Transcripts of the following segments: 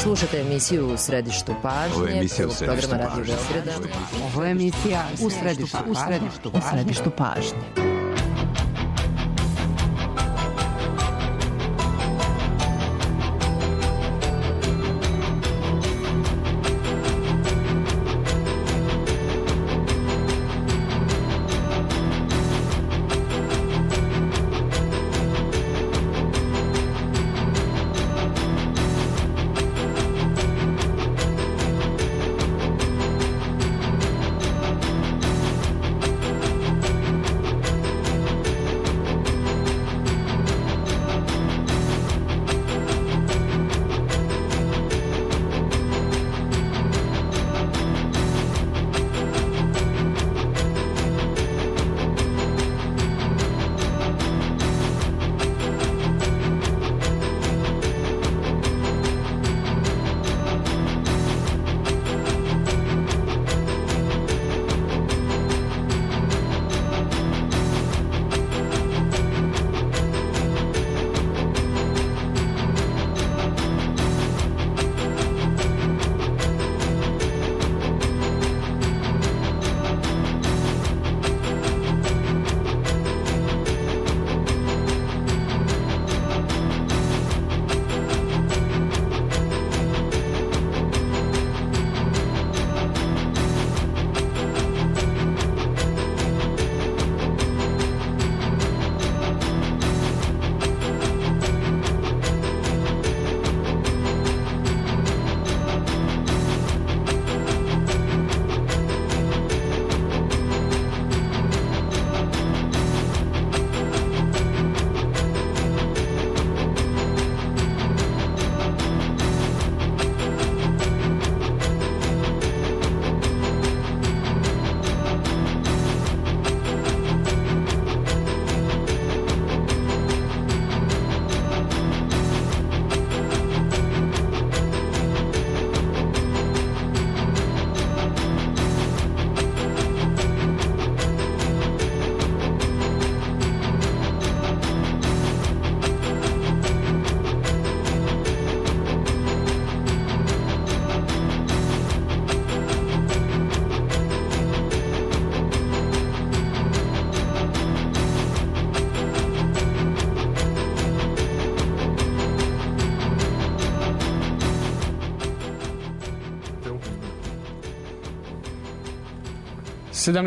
Slušate emisiju U središtu pažnje, programa Radio Beograda. Ovo je emisija U središtu pažnje.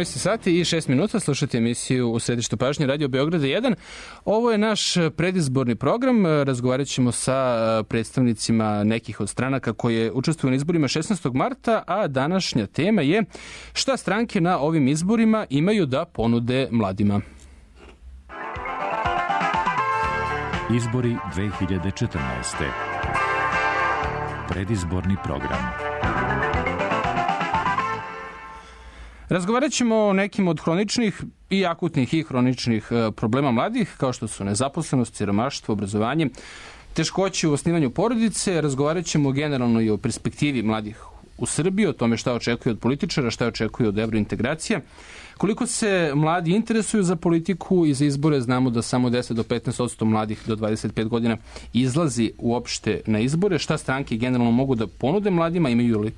Sati i 6 minuta, slušate emisiju U središtu pažnje Radio Beograda 1. Ovo je naš predizborni program. Razgovarat ćemo sa predstavnicima nekih od stranaka koje učestvuju na izborima 16. marta, a današnja tema je šta stranke na ovim izborima imaju da ponude mladima. Izbori 2014. Predizborni program. Razgovarat ćemo o nekim od hroničnih i akutnih i hroničnih problema mladih, kao što su nezaposlenost, siromaštvo, obrazovanje, teškoće u osnivanju porodice. Razgovarat ćemo generalno i o perspektivi mladih u Srbiji, o tome šta očekuju od političara, šta očekuju od evrointegracija. Koliko se mladi interesuju za politiku i za izbore, znamo da samo 10 do 15% mladih do 25 godina izlazi uopšte na izbore. Šta stranke generalno mogu da ponude mladima, imaju li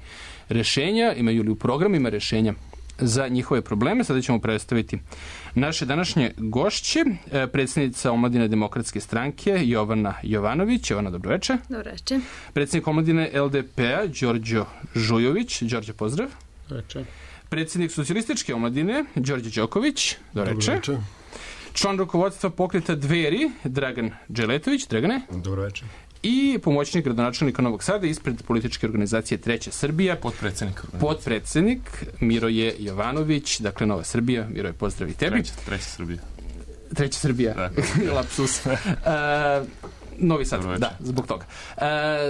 rešenja, imaju li u programima rešenja za njihove probleme. Sada ćemo predstaviti naše današnje gošće, predsjednica Omladine demokratske stranke Jovana Jovanović. Jovana, dobroveče. Dobroveče. Predsjednik Omladine LDP-a Đorđe Žujović. Đorđe, pozdrav. Dobroveče. Predsjednik Socijalističke omladine Đorđe Đoković. Dobroveče. Član rukovodstva pokreta Dveri Dragan Dželetović. Dragane. Dobroveče. I pomoćnik gradonačelnika Novog Sada ispred političke organizacije Treća Srbija. Potpredsednik Miroje Jovanović, dakle Nova Srbija. Miroje, pozdrav i tebi. Treća Srbija. Lapsus. Novi Sad, da, zbog toga.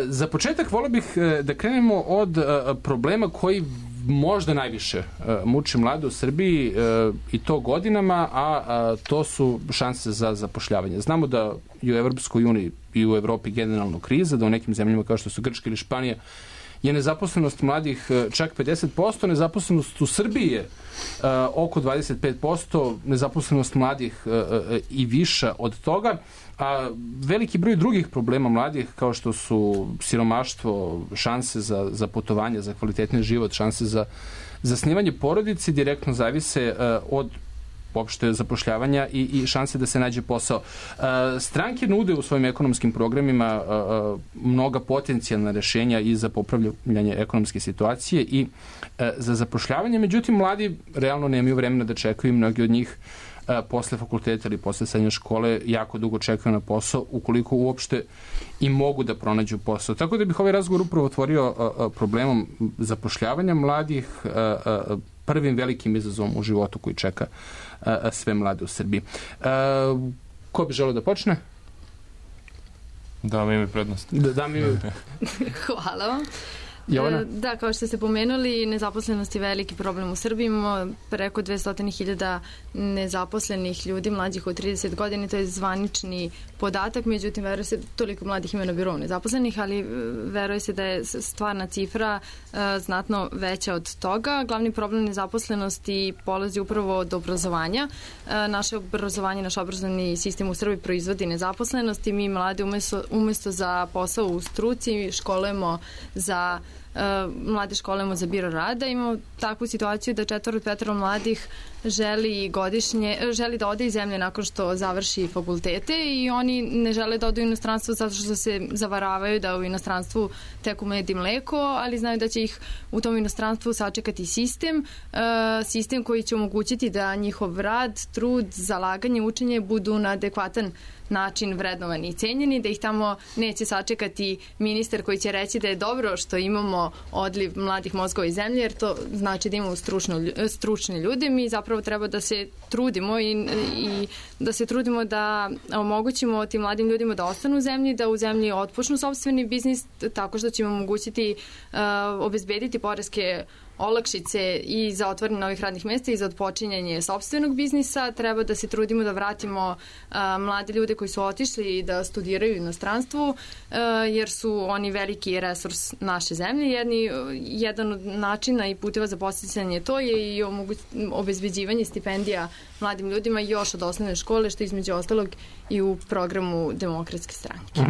Za početak volio bih da krenemo od problema koji možda najviše muči mlade u Srbiji i to godinama, a to su šanse za zapošljavanje. Znamo da i u Evropskoj uniji i u Evropi generalno kriza, da u nekim zemljama kao što su Grčka ili Španija je nezaposlenost mladih čak 50%, nezaposlenost u Srbiji je oko 25%, nezaposlenost mladih i viša od toga, a veliki broj drugih problema mladih, kao što su siromaštvo, šanse za putovanje, za kvalitetni život, šanse za zasnivanje porodice, direktno zavise od uopšte zapošljavanja i šanse da se nađe posao. Stranke nude u svojim ekonomskim programima mnoga potencijalna rešenja i za popravljanje ekonomske situacije i za zapošljavanje, međutim, mladi realno nemaju vremena da čekaju, mnogi od njih posle fakulteta ili posle srednje škole jako dugo čekaju na posao, ukoliko uopšte i mogu da pronađu posao. Tako da bih ovaj razgovor upravo otvorio problemom zapošljavanja mladih, prvim velikim izazovom u životu koji čeka sve mlade u Srbiji. Ko bi želeo da počne? Da, mi imaju prednost. Hvala vam. Jovana? Da, kao što ste pomenuli, nezaposlenost je veliki problem u Srbiji. Imamo preko 200.000 nezaposlenih ljudi mlađih od 30 godina, to je zvanični podatak, međutim, veruje se, toliko mladih ima na birovu nezaposlenih, ali veruje se da je stvarna cifra znatno veća od toga. Glavni problem nezaposlenosti polazi upravo od obrazovanja. Naše obrazovanje, naš obrazovni sistem u Srbiji proizvodi nezaposlenost i mi mlade umesto za posao u struci mlade školujemo za biro rada. Imamo takvu situaciju da 4 od 5 mladih želi da ode iz zemlje nakon što završi fakultete i oni ne žele da odu u inostranstvo zato što se zavaravaju da u inostranstvu teku med i mleko, ali znaju da će ih u tom inostranstvu sačekati sistem koji će omogućiti da njihov rad, trud, zalaganje, učenje budu na adekvatan način vrednovani i cenjeni, da ih tamo neće sačekati ministar koji će reći da je dobro što imamo odliv mladih mozgova iz zemlje, jer to znači da imamo stručne ljude. Mi zapravo treba da se trudimo i da se trudimo da omogućimo tim mladim ljudima da ostanu u zemlji, da u zemlji otpočnu sopstveni biznis, tako što ćemo omogućiti obezbediti poreske olakšice i za otvaranje novih radnih mesta i za otpočinjanje sopstvenog biznisa. Treba da se trudimo da vratimo mlade ljude koji su otišli i da studiraju u inostranstvu, jer su oni veliki resurs naše zemlje. Jedan od načina i puteva za podsticanje to je i obezbeđivanje stipendija mladim ljudima još od osnovne škole, što između ostalog i u programu Demokratske stranke.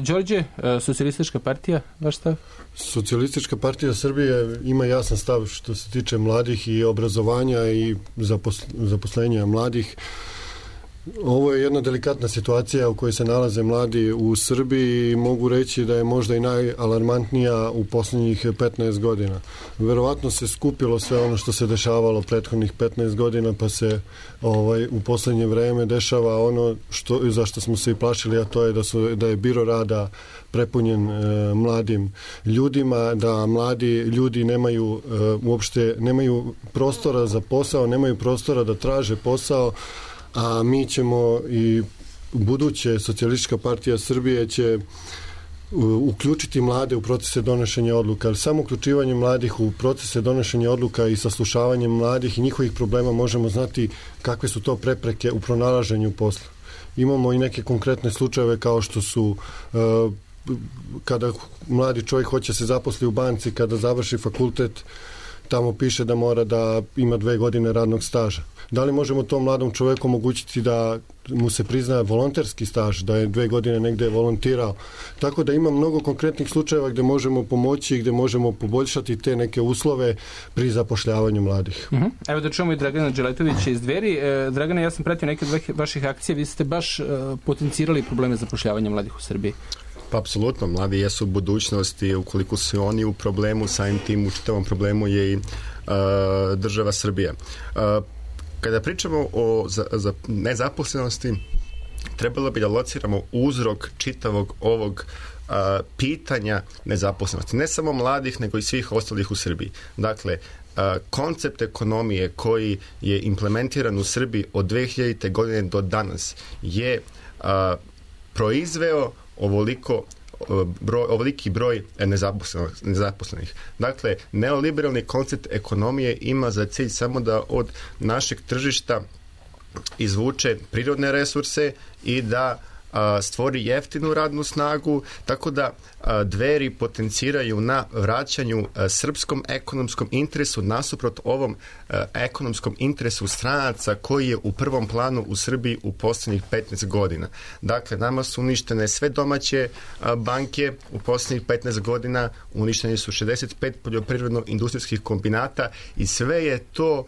Đorđe, Socijalistička partija, vaš stav? Socijalistička partija Srbije ima jasan stav što se tiče mladih i obrazovanja i zaposlenja mladih. Ovo je jedna delikatna situacija u kojoj se nalaze mladi u Srbiji i mogu reći da je možda i najalarmantnija u poslednjih 15 godina. Verovatno se skupilo sve ono što se dešavalo prethodnih 15 godina, pa se u poslednje vreme dešava ono zašto smo se i plašili, a to je da je biro rada prepunjen mladim ljudima, da mladi ljudi nemaju prostora za posao, nemaju prostora da traže posao, a mi ćemo i buduće Socijalistička partija Srbije će uključiti mlade u procese donošenja odluka, ali samo uključivanje mladih u procese donošenja odluka i saslušavanjem mladih i njihovih problema možemo znati kakve su to prepreke u pronalaženju posla. Imamo i neke konkretne slučajeve kao što su kada mladi čovjek hoće se zaposli u banci, kada završi fakultet, tamo piše da mora da ima 2 godine radnog staža. Da li možemo tom mladom čovjeku omogućiti da mu se priznaje volonterski staž, da je 2 godine negde volontirao? Tako da ima mnogo konkretnih slučajeva gde možemo pomoći i gde možemo poboljšati te neke uslove pri zapošljavanju mladih. Evo da čujemo i Dragana Đeletovića iz Dveri. Dragana, ja sam pratio neke od vaših akcija, vi ste baš potencirali probleme zapošljavanja mladih u Srbiji. Pa apsolutno, mladi jesu budućnost i ukoliko su oni u problemu, samim tim u čitavom problemu je i država Srbija. Kada pričamo o nezaposlenosti, trebalo bi da lociramo uzrok čitavog ovog pitanja nezaposlenosti. Ne samo mladih, nego i svih ostalih u Srbiji. Dakle, koncept ekonomije koji je implementiran u Srbiji od 2000. godine do danas je proizveo ovoliki broj nezaposlenih. Dakle, neoliberalni koncept ekonomije ima za cilj samo da od našeg tržišta izvuče prirodne resurse i da stvori jeftinu radnu snagu, tako da Dveri potenciraju na vraćanju srpskom ekonomskom interesu nasuprot ovom ekonomskom interesu stranaca koji je u prvom planu u Srbiji u posljednjih 15 godina. Dakle, nama su uništene sve domaće banke u posljednjih 15 godina, uništeni su 65 poljoprivredno-industrijskih kombinata i sve je to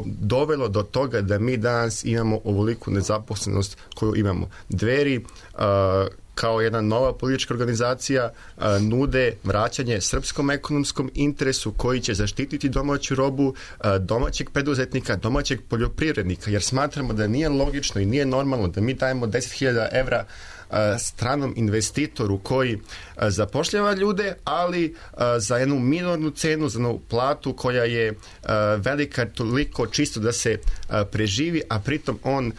dovelo do toga da mi danas imamo ovoliku nezaposlenost koju imamo. Dveri kao jedna nova politička organizacija nude vraćanje srpskom ekonomskom interesu koji će zaštititi domaću robu, domaćeg preduzetnika, domaćeg poljoprivrednika, jer smatramo da nije logično i nije normalno da mi dajemo 10.000 evra stranom investitoru koji zapošljava ljude, ali za jednu minornu cenu, za jednu platu koja je velika toliko čisto da se preživi, a pritom on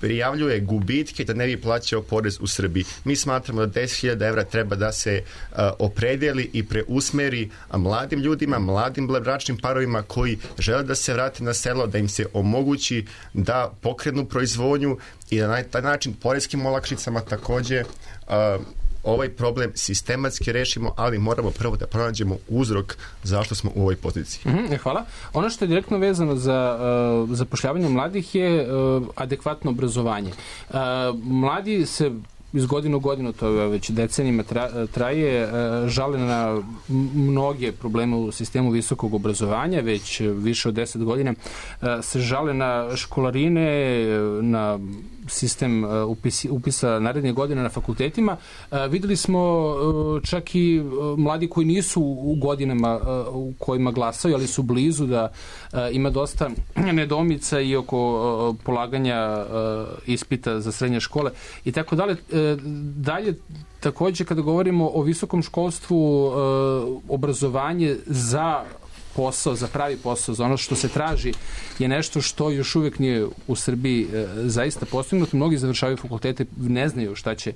prijavljuje gubitke da ne bi plaćao porez u Srbiji. Mi smatramo da 10.000 evra treba da se opredeli i preusmeri mladim ljudima, mladim bračnim parovima koji žele da se vrate na selo, da im se omogući da pokrenu proizvodnju i da na taj način poreskim olakšicama takođe ovaj problem sistematski rešimo, ali moramo prvo da pronađemo uzrok zašto smo u ovoj poziciji. Hvala. Ono što je direktno vezano za zapošljavanje mladih je adekvatno obrazovanje. Mladi se iz godine u godinu, to je već decenijima traje, žale na mnoge probleme u sistemu visokog obrazovanja, već više od 10 godina se žale na školarine, na sistem upisa naredne godine na fakultetima. Videli smo čak i mladi koji nisu u godinama u kojima glasaju, ali su blizu, da ima dosta nedoumica i oko polaganja ispita za srednje škole i tako dalje. Dalje, takođe, kada govorimo o visokom školstvu, obrazovanje za posao, za pravi posao, za ono što se traži, je nešto što još uvek nije u Srbiji zaista postignuto. Mnogi završavaju fakultete, ne znaju šta će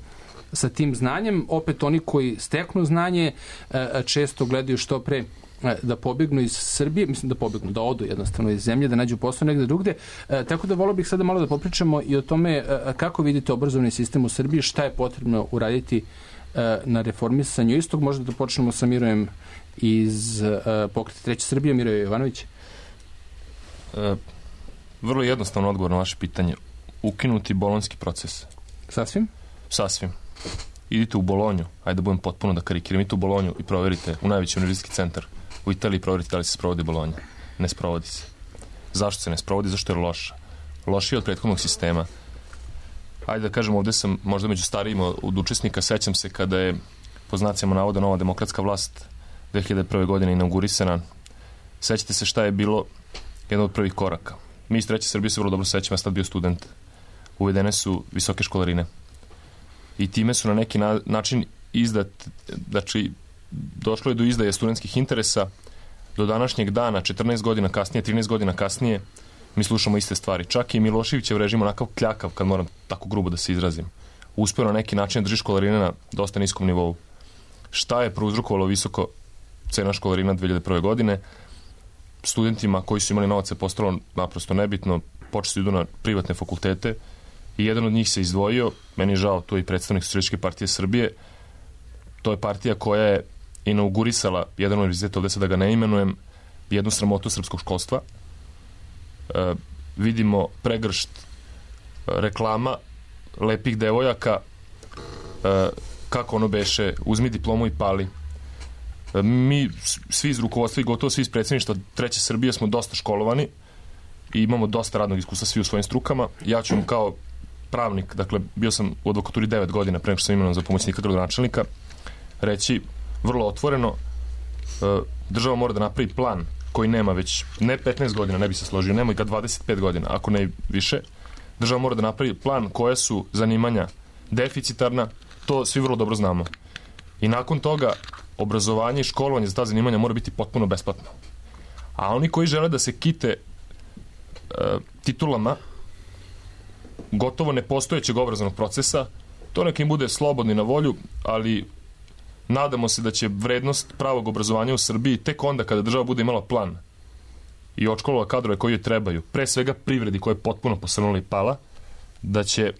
sa tim znanjem. Opet oni koji steknu znanje često gledaju što pre da pobegnu iz Srbije, mislim da pobegnu, da odu jednostavno iz zemlje, da nađu posao negde drugde. Tako da volio bih sada malo da popričamo i o tome kako vidite obrazovni sistem u Srbiji, šta je potrebno uraditi na reformisanju istog. Možda da počnemo sa Mirojem iz Pokreta Treće Srbije. Miroje Jovanović. Vrlo jednostavno odgovor na vaše pitanje. Ukinuti bolonjski proces. Sasvim? Sasvim. Idite u Bolonju, ajde da budem potpuno da karikiram, idite u Bolonju i proverite, u najveći univerzitetski centar u Italiji, proverite da li se sprovodi Bolonja. Ne sprovodi se. Zašto se ne sprovodi? Zašto je loša? Lošija je od prethodnog sistema. Ajde da kažem, ovde sam možda među starijima od učesnika, sećam se kada je po znacima navoda nova demokratska vlast 2001. godine inaugurisana. Sećate se šta je bilo jedan od prvih koraka. Mi iz Treće Srbije se vrlo dobro sećamo, ja sam tad bio student. Uvedene su visoke školarine. I time su na neki način znači došlo je do izdaje studentskih interesa. Do današnjeg dana, 14 godina kasnije, 13 godina kasnije, mi slušamo iste stvari. Čak i Miloševićev režim onakav kljakav, kad moram tako grubo da se izrazim, uspeo na neki način drži školarine na dosta niskom nivou. Šta je prouzrokovalo visoko cena školarina 2001. godine? Studentima koji su imali novac je postalo naprosto nebitno, počeli idu na privatne fakultete i jedan od njih se izdvojio, meni je žao, to je i predstavnik Socijalističke partije Srbije. To je partija koja je inaugurisala jedan univerzitet, ovde se da ga ne imenujem, jednu sramotu srpskog školstva. Vidimo pregršt reklama lepih devojaka, kako ono beše, uzmi diplomu i pali. Mi svi iz rukovodstva i gotovo svi iz predsjedništva Treće Srbije smo dosta školovani i imamo dosta radnog iskustva svi u svojim strukama. Ja ću vam kao pravnik, dakle bio sam u advokaturi 9 godina pre nego što sam imenovan za pomoćnika gradonačelnika, reći vrlo otvoreno, država mora da napravi plan koji nema već ne 15 godina, ne bi se složio, nema i ga 25 godina, ako ne više. Država mora da napravi plan koje su zanimanja deficitarna, to svi vrlo dobro znamo. I nakon toga obrazovanje i školovanje za ta zanimanja mora biti potpuno besplatno. A oni koji žele da se kite titulama gotovo nepostojećeg obrazovnog procesa, to neka im bude slobodni na volju, ali nadamo se da će vrednost pravog obrazovanja u Srbiji tek onda kada država bude imala plan i odškolila kadrove koji joj trebaju, pre svega privredi koja je potpuno posrnula i pala, da će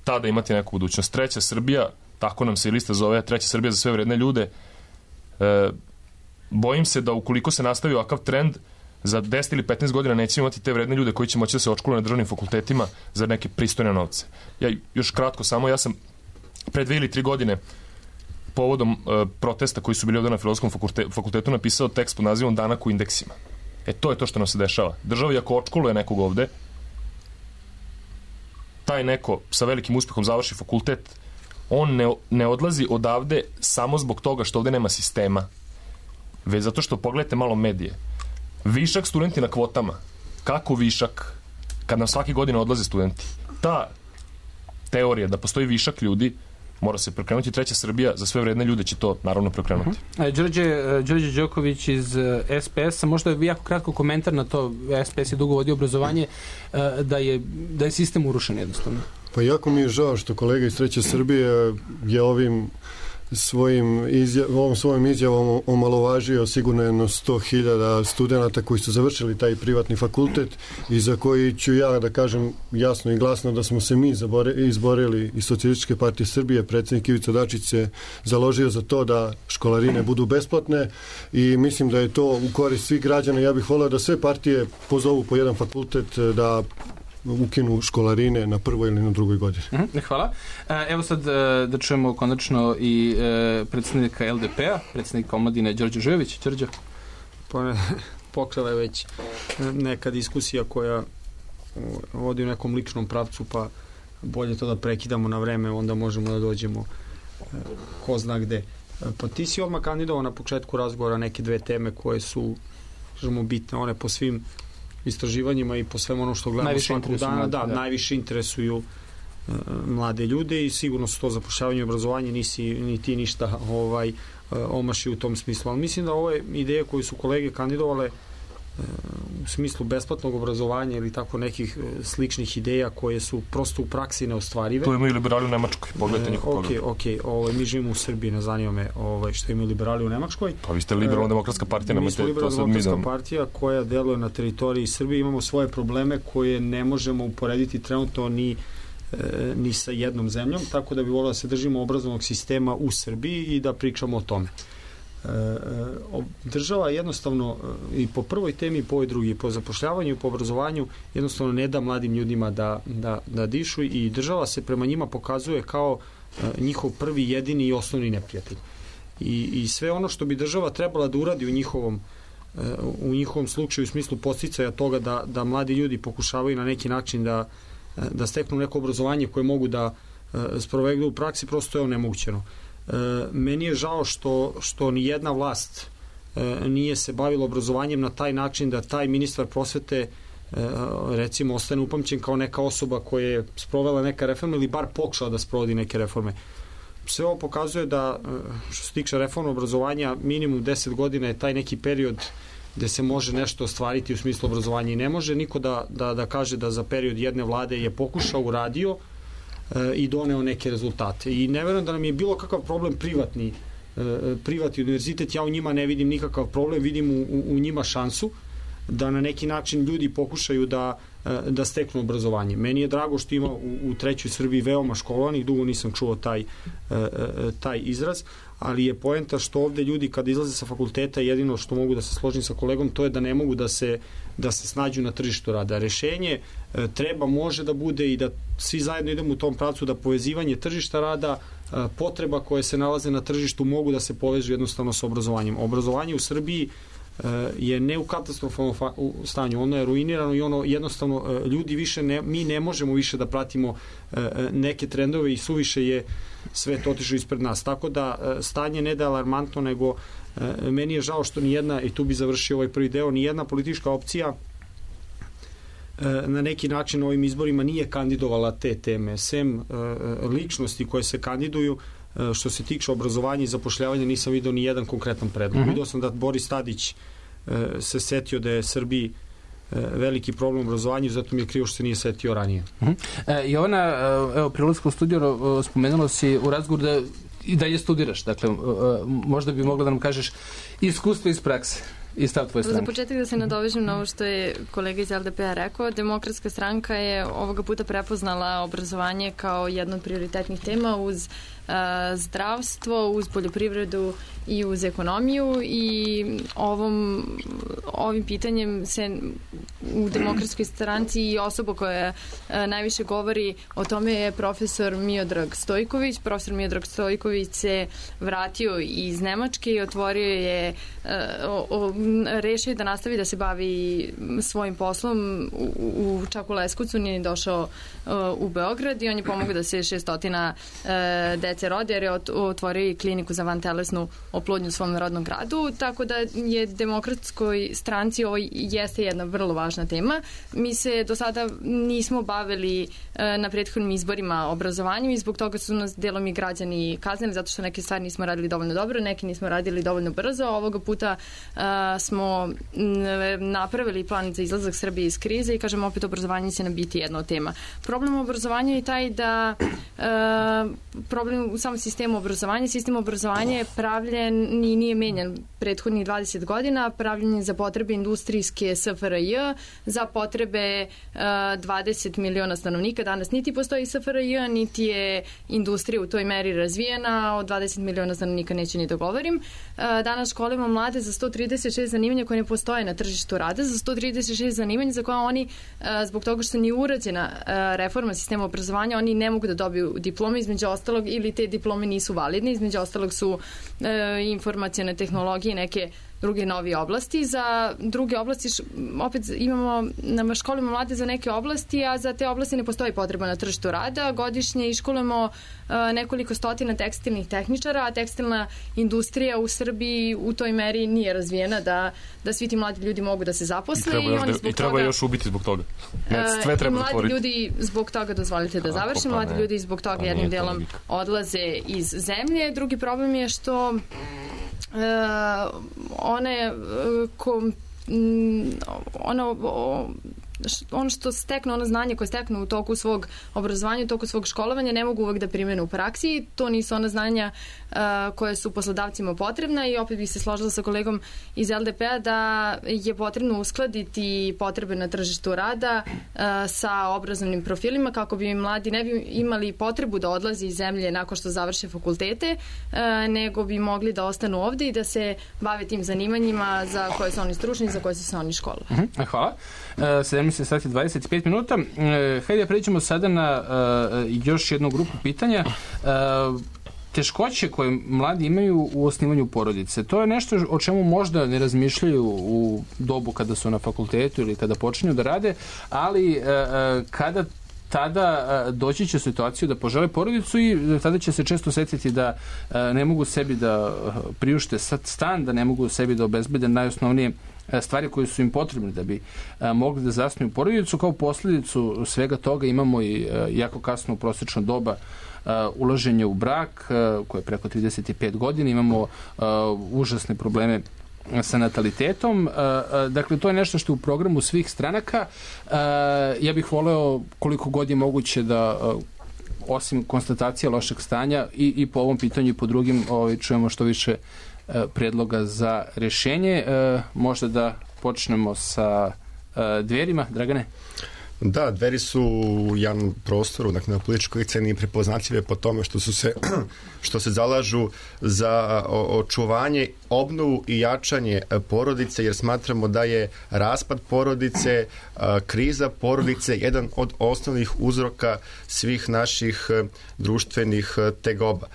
tada imati neku budućnost. Treća Srbija, tako nam se i lista zove, Treća Srbija za sve vredne ljude, bojim se da ukoliko se nastavi ovakav trend, za 10 ili 15 godina nećemo imati te vredne ljude koji će moći da se odškoluju na državnim fakultetima za neke pristojne novce. Ja još kratko samo, ja sam pre 2 ili 3 godine povodom protesta koji su bili ovdje na Filozofskom fakultetu napisao tekst pod nazivom Danak u indeksima. To je to što nam se dešava. Država, ako odškoluje nekog ovde, taj neko sa velikim uspehom završi fakultet, on ne odlazi odavde samo zbog toga što ovde nema sistema, već zato što pogledajte malo medije. Višak studenti na kvotama. Kako višak? Kad nam svake godine odlaze studenti. Ta teorija da postoji višak ljudi mora se prekrenuti. Treća Srbija za sve vredne ljude će to naravno prekrenuti. Đorđe Đoković iz SPS-a, možda je jako kratko komentar na to. SPS je dugo vodio obrazovanje, da je sistem urušen jednostavno. Pa jako mi je žao što kolega iz Treće Srbije je ovom svojim izjavom omalovažio sigurno jedno 100.000 studenta koji su završili taj privatni fakultet i za koji ću ja da kažem jasno i glasno da smo se mi izborili iz Socijalističke partije Srbije. Predsjednik Ivica Dačić se založio za to da školarine budu besplatne i mislim da je to u korist svih građana. Ja bih voleo da sve partije pozovu po jedan fakultet da ukinu školarine na prvoj ili na drugoj godini. Hvala. Evo sad da čujemo konačno i predsjednika LDP-a, predsjednika omladine Đorđe Žujović. Đorđe? Poklela je već neka diskusija koja vodi u nekom ličnom pravcu, pa bolje to da prekidamo na vreme, onda možemo da dođemo ko zna gde. Pa ti si odmah kandidovao na početku razgovora neke 2 teme koje su, kažemo, bitne, one po svim istraživanjima i po svemu ono što gledamo svakog dana, najviše interesuju mlade ljude i sigurno su to zapošljavanje i obrazovanje, ni ti ništa omaši u tom smislu. Ali mislim da ove ideje koje su kolege kandidovale u smislu besplatnog obrazovanja ili tako nekih sličnih ideja koje su prosto u praksi neostvarive. To imaju liberali u Nemačkoj, pogledajte njihov program. Mi živimo u Srbiji, ne zanima me što imaju liberali u Nemačkoj. Pa vi ste liberalno-demokratska partija, mi smo liberalno-demokratska partija koja deluje na teritoriji Srbije, imamo svoje probleme koje ne možemo uporediti trenutno ni sa jednom zemljom, tako da bi volio da se držimo obrazovnog sistema u Srbiji i da pričamo o tome. Država jednostavno i po prvoj temi i po ovoj drugi, po zapošljavanju i po obrazovanju jednostavno ne da mladim ljudima da dišu i država se prema njima pokazuje kao njihov prvi, jedini i osnovni neprijatelj. I sve ono što bi država trebala da uradi u njihovom slučaju u smislu podsticaja toga da mladi ljudi pokušavaju na neki način da steknu neko obrazovanje koje mogu da sprovedu u praksi, prosto je onemogućeno. Meni je žao što ni jedna vlast nije se bavila obrazovanjem na taj način da taj ministar prosvete recimo ostane upamćen kao neka osoba koja je sprovela neka reforma ili bar pokušala da sprovodi neke reforme. Sve ovo pokazuje da što se tiče reforme obrazovanja minimum 10 godina je taj neki period gde se može nešto ostvariti u smislu obrazovanja i ne može niko da kaže da za period jedne vlade je pokušao, uradio i doneo neke rezultate. I ne verujem da nam je bilo kakav problem privatni univerzitet, ja u njima ne vidim nikakav problem, vidim u njima šansu da na neki način ljudi pokušaju da steknu obrazovanje. Meni je drago što ima u Trećoj Srbiji veoma školovanih, dugo nisam čuo taj izraz, ali je poenta što ovde ljudi kada izlaze sa fakulteta, jedino što mogu da se složim sa kolegom, to je da ne mogu da se snađu na tržištu rada. Rešenje može da bude i da svi zajedno idemo u tom pravcu da povezivanje tržišta rada, potreba koje se nalaze na tržištu mogu da se povežu jednostavno sa obrazovanjem. Obrazovanje u Srbiji je ne u katastrofalnom stanju, ono je ruinirano i ono jednostavno ljudi više mi ne možemo više da pratimo neke trendove i suviše je sve to otišlo ispred nas. Tako da stanje ne da alarmantno, nego meni je žao što nijedna, i tu bi završio ovaj prvi deo, nijedna politička opcija na neki način ovim izborima nije kandidovala te teme. Sem ličnosti koje se kandiduju, što se tiče obrazovanja i zapošljavanja, nisam vidio ni jedan konkretan predlog. Vidio sam da Boris Tadić se setio da je Srbiji veliki problem obrazovanja, zato mi je krivo što se nije setio ranije. Jovana, evo, pri ulasku u studiju spomenulo si u razgovoru da i dalje studiraš, dakle, možda bi mogla da nam kažeš iskustvo iz prakse. i stav tvoje stranke. Za početak da se nadovežem na ovo što je kolega iz LDP-a rekao, Demokratska stranka je ovoga puta prepoznala obrazovanje kao jedno od prioritetnih tema uz zdravstvo, uz poljoprivredu i uz ekonomiju i ovim pitanjem se u Demokratskoj stranci i osoba koja najviše govori o tome je profesor Miodrag Stojković. Profesor Miodrag Stojković se vratio iz Nemačke i otvorio je, rešio da nastavi da se bavi svojim poslom čak u Leskovcu, nije došao u Beograd i on je pomogao da se 600 dece rode jer je otvorio i kliniku za vantelesnu oplodnju u svom rodnom gradu, tako da je Demokratskoj stranci ovo jeste jedna vrlo važna tema. Mi se do sada nismo bavili na prethodnim izborima obrazovanju i zbog toga su nas delom i građani kaznili zato što neke stvari nismo radili dovoljno dobro, neki nismo radili dovoljno brzo. Ovoga puta smo napravili plan za izlazak Srbije iz krize i kažem opet obrazovanje će nam biti jedna od tema. Problem obrazovanja je taj da problem u samom sistemu obrazovanja, sistem obrazovanja je pravljen i nije menjan prethodnih 20 godina, pravljen je za potrebe industrijske SFRJ, za potrebe 20 miliona stanovnika. Danas niti postoji SFRJ, niti je industrija u toj meri razvijena, od 20 miliona stanovnika neću ni da govorim. Danas školimo mlade za 136 zanimanja koje ne postoje na tržištu rada, za 136 zanimanja za koje oni, zbog toga što nije urađena reforma sistema obrazovanja, oni ne mogu da dobiju diplome, između ostalog, ili te diplome nisu validne, između ostalog su informacione tehnologije i neke druge nove oblasti. Za druge oblasti opet imamo na školima mlade za neke oblasti, a za te oblasti ne postoji potreba na tržištu rada. Godišnje iškolujemo nekoliko stotina tekstilnih tehničara, a tekstilna industrija u Srbiji u toj meri nije razvijena da svi ti mladi ljudi mogu da se zaposle i treba još ubiti zbog toga. Sve treba mladi otvoriti. Ljudi zbog toga, dozvolite da završim, mladi ljudi zbog toga jednim delom odlaze iz zemlje. Drugi problem je što ono što steknu, ono znanje koje steknu u toku svog obrazovanja, u toku svog školovanja ne mogu uvek da primene u praksi. To nisu ona znanja koje su poslodavcima potrebna i opet bih se složila sa kolegom iz LDP-a da je potrebno uskladiti potrebe na tržištu rada sa obrazovnim profilima kako bi mladi ne bi imali potrebu da odlazi iz zemlje nakon što završe fakultete, nego bi mogli da ostanu ovde i da se bave tim zanimanjima za koje su oni stručni i za koje su se oni školovali. Hvala. 17 sati 25 minuta. Hajde pređemo sada na još jednu grupu pitanja. Teškoće koje mladi imaju u osnivanju porodice. To je nešto o čemu možda ne razmišljaju u dobu kada su na fakultetu ili kada počinju da rade, ali kada tada doći će u situaciju da požele porodicu i tada će se često setiti da ne mogu sebi da priušte stan, da ne mogu sebi da obezbede najosnovnije stvari koje su im potrebne da bi mogli da zasnuju porodicu. Kao posljedicu svega toga imamo i jako kasno prosječno doba ulaženja u brak koje je preko 35 godina. Imamo užasne probleme sa natalitetom. Dakle, to je nešto što je u programu svih stranaka. Ja bih voleo koliko god je moguće da osim konstatacija lošeg stanja i po ovom pitanju i po drugim čujemo što više predloga za rješenje. Možda da počnemo sa Dverima. Dragane? Da, Dveri su u javnom prostoru, dakle na političkoj sceni prepoznatljive po tome što se zalažu za očuvanje, obnovu i jačanje porodice, jer smatramo da je raspad porodice, kriza porodice jedan od osnovnih uzroka svih naših društvenih tegoba.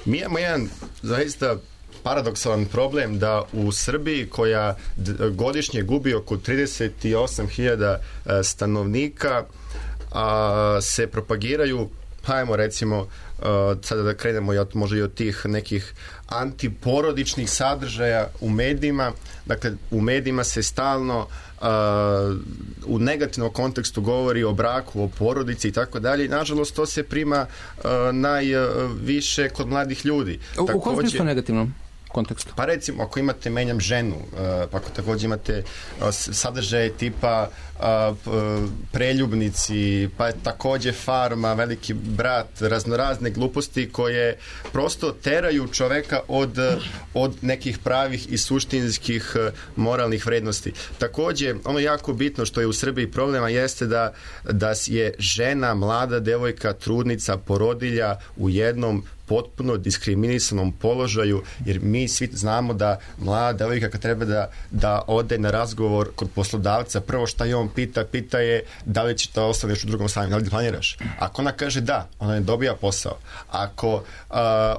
Mi imamo jedan zaista paradoksalan problem da u Srbiji koja godišnje gubi oko 38.000 stanovnika se propagiraju, hajmo recimo sada da krenemo možda i od tih nekih antiporodičnih sadržaja u medijima. Dakle, u medijima se stalno u negativnom kontekstu govori o braku, o porodici i tako dalje. Nažalost, to se prima najviše kod mladih ljudi. U kom smislu negativnom? kontekstu? Pa recimo, ako imate menjam ženu, pa ako također imate sadržaje tipa preljubnici, pa također Farma, Veliki brat, raznorazne gluposti koje prosto teraju čoveka od nekih pravih i suštinskih moralnih vrednosti. Također, ono jako bitno što je u Srbiji problema jeste da je žena, mlada devojka, trudnica, porodilja u jednom potpuno diskriminisanom položaju, jer mi svi znamo da mlada devojka kad treba da ode na razgovor kod poslodavca, prvo šta je on pita je da li će to ostaneš u drugom stanju, da li planiraš. Ako ona kaže da, ona ne dobija posao. Ako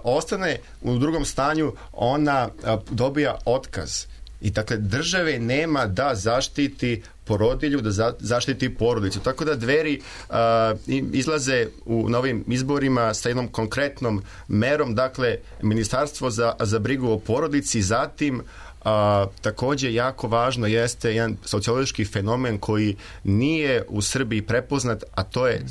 ostane u drugom stanju, ona dobija otkaz. I dakle, države nema da zaštiti porodilju, da zaštiti porodicu. Tako da Dveri izlaze u novim izborima sa jednom konkretnom merom, dakle, Ministarstvo za brigu o porodici, zatim također jako važno jeste jedan sociološki fenomen koji nije u Srbiji prepoznat, a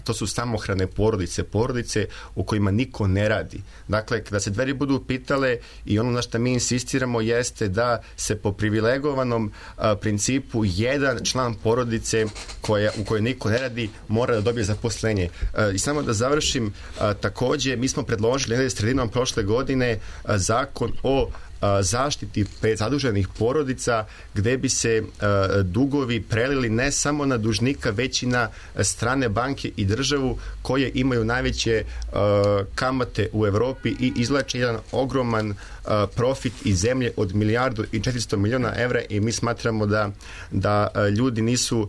to su samohrane porodice u kojima niko ne radi. Dakle, kada se Dveri budu pitale i ono na što mi insistiramo jeste da se po privilegovanom principu jedan član porodice u kojoj niko ne radi mora da dobije zaposlenje. I samo da završim, također mi smo predložili sredinom prošle godine zakon o zaštiti prezaduženih porodica gdje bi se dugovi prelili ne samo na dužnika već i na strane banke i državu koje imaju najveće kamate u Europi i izvlače jedan ogroman profit iz zemlje od 1,4 milijarda evra i mi smatramo da ljudi nisu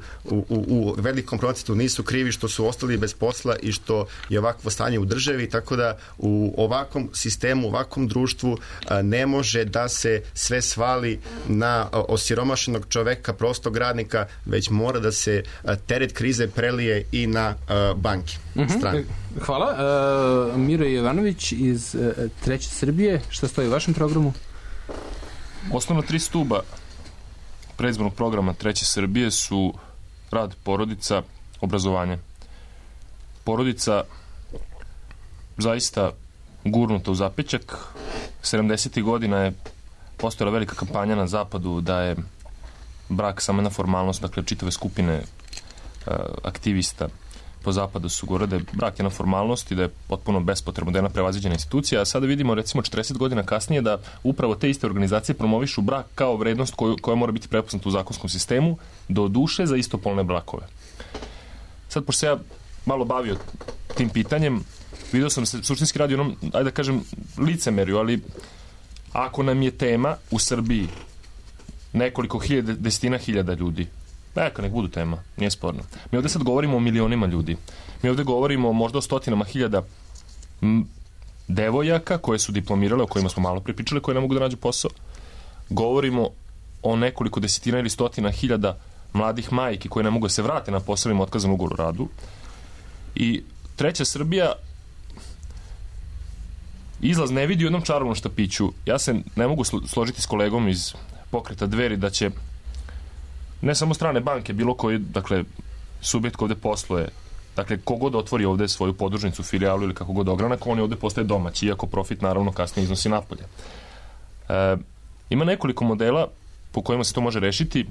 u velikom procentu nisu krivi što su ostali bez posla i što je ovakvo stanje u državi, tako da u ovakvom sistemu, u ovakvom društvu ne može da se sve svali na osiromašenog čoveka, prostog radnika, već mora da se teret krize prelije i na banke. Hvala. Miro Jovanović iz Treće Srbije. Šta stoji u vašem programu? Osnovna 3 stuba predizbornog programa Treće Srbije su rad, porodica, obrazovanje. Porodica zaista gurnuta u zapećak. 70. godina je postojala velika kampanja na zapadu da je brak samo jedna formalnost, dakle čitave skupine aktivista po zapadu su govorili da je brak jedna formalnost i da je potpuno bespotrebno, da je jedna prevaziđena institucija, a sada vidimo recimo 40 godina kasnije da upravo te iste organizacije promovišu brak kao vrednost koja mora biti prepoznata u zakonskom sistemu, do duše za istopolne brakove. Sad, pošto se ja malo bavio tim pitanjem, vidio sam se suštinski radi onom, ajde da kažem, licemerju, ali ako nam je tema u Srbiji nekoliko desetina hiljada ljudi, neka nek budu tema, nije sporno. Mi ovdje sad govorimo o milionima ljudi. Mi ovdje govorimo možda o stotinama hiljada devojaka koje su diplomirale, o kojima smo malo pripričali, koje ne mogu da nađu posao. Govorimo o nekoliko desetina ili stotina hiljada mladih majki koje ne mogu da se vrate na posao im otkazan ugovor o radu. I Treća Srbija izlaz ne vidi u jednom čarobnom štapiću. Ja se ne mogu složiti s kolegom iz pokreta Dveri da će ne samo strane banke, bilo koji, dakle, subjekt ovdje posluje, dakle, kogod otvori ovdje svoju podružnicu, filijalu ili kako god ogranak, on je ovdje postaje domaći, iako profit naravno kasnije iznosi napolje. Ima nekoliko modela po kojima se to može rešiti.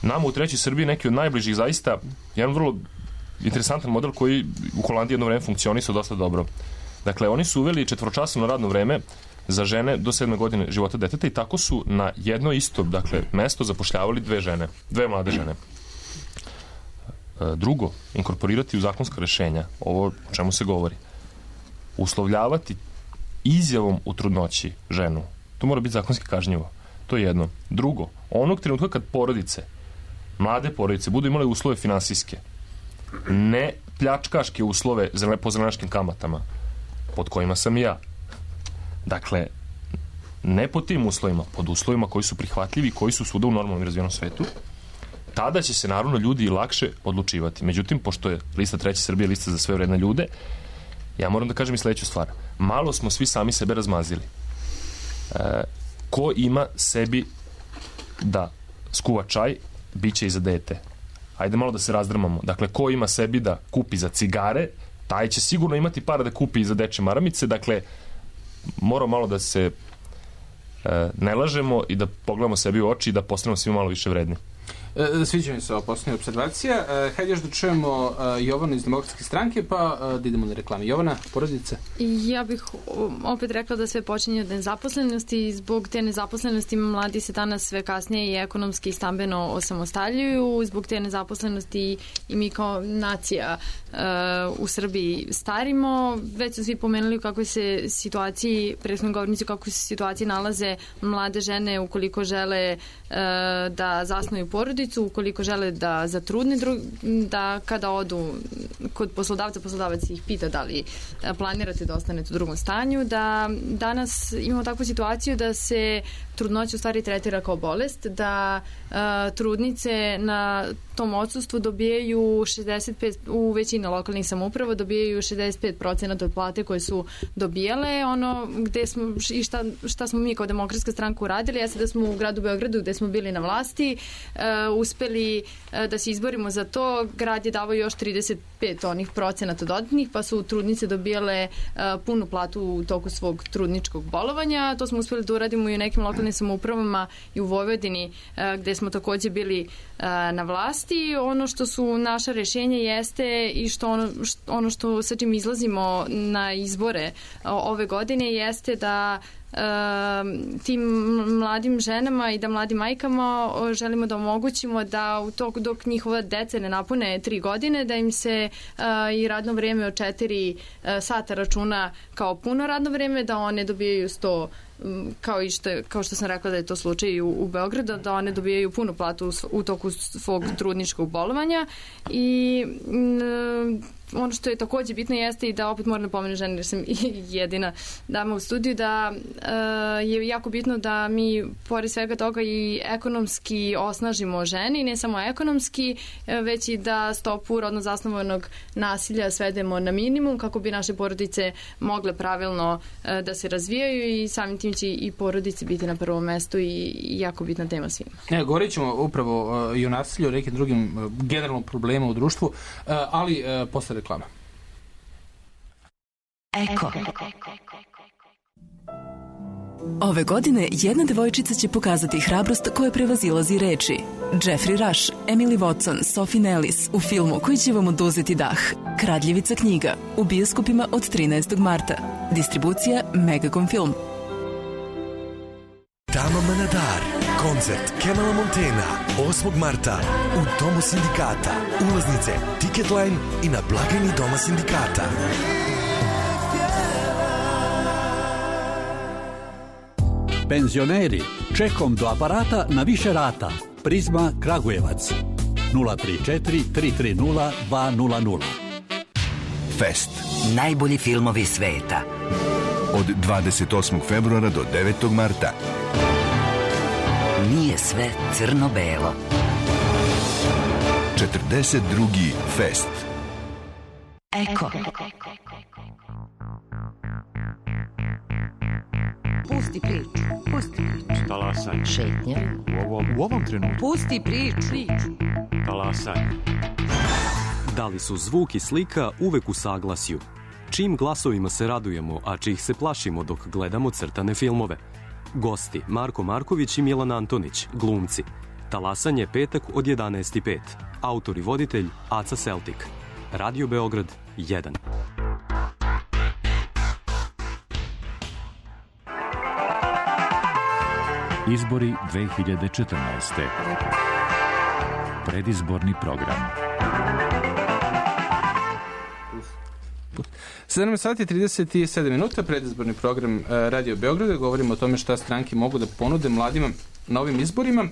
Nama u Trećoj Srbiji neki od najbližih zaista, jedan vrlo interesantan model koji u Holandiji jedno vreme funkcionisao dosta dobro. Dakle, oni su uveli 4-časovno radno vreme za žene do 7. godine života deteta i tako su na jedno isto, dakle, mesto zapošljavali dve mlade žene. Drugo, inkorporirati u zakonska rešenja, ovo o čemu se govori, uslovljavati izjavom u trudnoći ženu. To mora biti zakonski kažnjivo. To je jedno. Drugo, onog trenutka kad porodice, mlade porodice, budu imale uslove finansijske, ne pljačkaške uslove po zelenaškim kamatama, pod kojima sam i ja. Dakle, ne pod tim uslovima, pod uslovima koji su prihvatljivi, koji su svuda u normalnom i razvijenom svetu, tada će se naravno ljudi lakše odlučivati. Međutim, pošto je lista Treće Srbije lista za sve vredne ljude, ja moram da kažem i sledeću stvar. Malo smo svi sami sebe razmazili. Ko ima sebi da skuva čaj, bit će i za dete. Ajde malo da se razdrmamo. Dakle, ko ima sebi da kupi za cigare, taj će sigurno imati para da kupi i za dečje maramice. Dakle, mora malo da se ne lažemo i da pogledamo sebi u oči i da postanemo svi malo više vredni. Sviđa mi se ova posljednja observacija. Hajde još da čujemo Jovanu iz Demokratske stranke, pa da idemo na reklame. Jovana, porodice? Ja bih opet rekla da sve počinje od nezaposlenosti i zbog te nezaposlenosti mladi se danas sve kasnije i ekonomski i stambeno osamostaljuju. Zbog te nezaposlenosti i mi kao nacija u Srbiji starimo. Već su svi pomenuli u kakvoj se situaciji, prethodni govornici, u kakvoj se situaciji nalaze mlade žene ukoliko žele da zasnuju porodicu, ukoliko žele da zatrudne, da kada odu kod poslodavca, poslodavac ih pita da li planirate da ostanete u drugom stanju, da danas imamo takvu situaciju da se trudnoća u stvari tretira kao bolest, da trudnice na tom odsustvu dobijaju 65, u većini lokalnih samouprava dobijaju 65% od plate koje su dobijale. Ono gde smo i šta smo mi kao Demokratska stranka uradili, jeste da smo u gradu Beogradu, gde smo bili na vlasti, uspeli da se izborimo za to. Grad je davao još 35 onih procenata dodatnih, pa su trudnice dobijale punu platu u toku svog trudničkog bolovanja. To smo uspeli da uradimo i u nekim lokalnim samoupravama i u Vojvodini, gde smo takođe bili na vlasti. Ono što su naša rešenja jeste i ono što sa čim izlazimo na izbore ove godine jeste da tim mladim ženama i da mladim majkama želimo da omogućimo da u toku dok njihova deca ne napune 3 godine, da im se i radno vreme od 4 sata računa kao puno radno vreme, da one dobijaju 100, kao što sam rekla da je to slučaj u Beogradu, da one dobijaju punu platu u toku svog trudničkog bolovanja. I ono što je takođe bitno jeste i da opet moram da pomenem žene jer sam jedina dama u studiju, da je jako bitno da mi pored svega toga i ekonomski osnažimo žene i ne samo ekonomski, već i da stopu rodno zasnovanog nasilja svedemo na minimum kako bi naše porodice mogle pravilno da se razvijaju i samim tim će i porodice biti na prvom mestu i jako bitna tema svima. Govorit ćemo upravo i o nasilju, o nekim drugim generalnom problema u društvu, ali posle reklama. Eko. Ove godine jedna devojčica će pokazati hrabrost koja prevazilazi reči. Jeffrey Rush, Emily Watson, Sophie Nellis u filmu koji će vam oduzeti dah. Kradljivica knjiga u bioskopima od 13. marta. Distribucija Megacom Film. Dama Manadar, koncert Kemala Montena, 8. marta u Domu sindikata. Ulaznice, Ticketline i na blagajni Doma sindikata. Penzioneri, čekom do aparata na više rata. Prizma Kragujevac 034 330 200. Fest. Najbolji filmovi sveta. Od 28. februara do 9. marta. Nije sve crno-belo. 42. Fest. Eko. Pusti priču. Pusti priču. Talasanje. Šetnja. U ovom trenutku. Pusti priču. Talasanje. Da li su zvuk i slika uvek u saglasju? Čim glasovima se radujemo, a čih se plašimo dok gledamo crtane filmove? Gosti Marko Marković i Milan Antonić, glumci. Talasanje petak od 11:05. Autor i voditelj Aca Celtic. Radio Beograd 1. Izbori 2014. Predizborni program. 7 sati 37 minuta, predizborni program Radio Beograda. Govorimo o tome šta stranke mogu da ponude mladima na ovim izborima.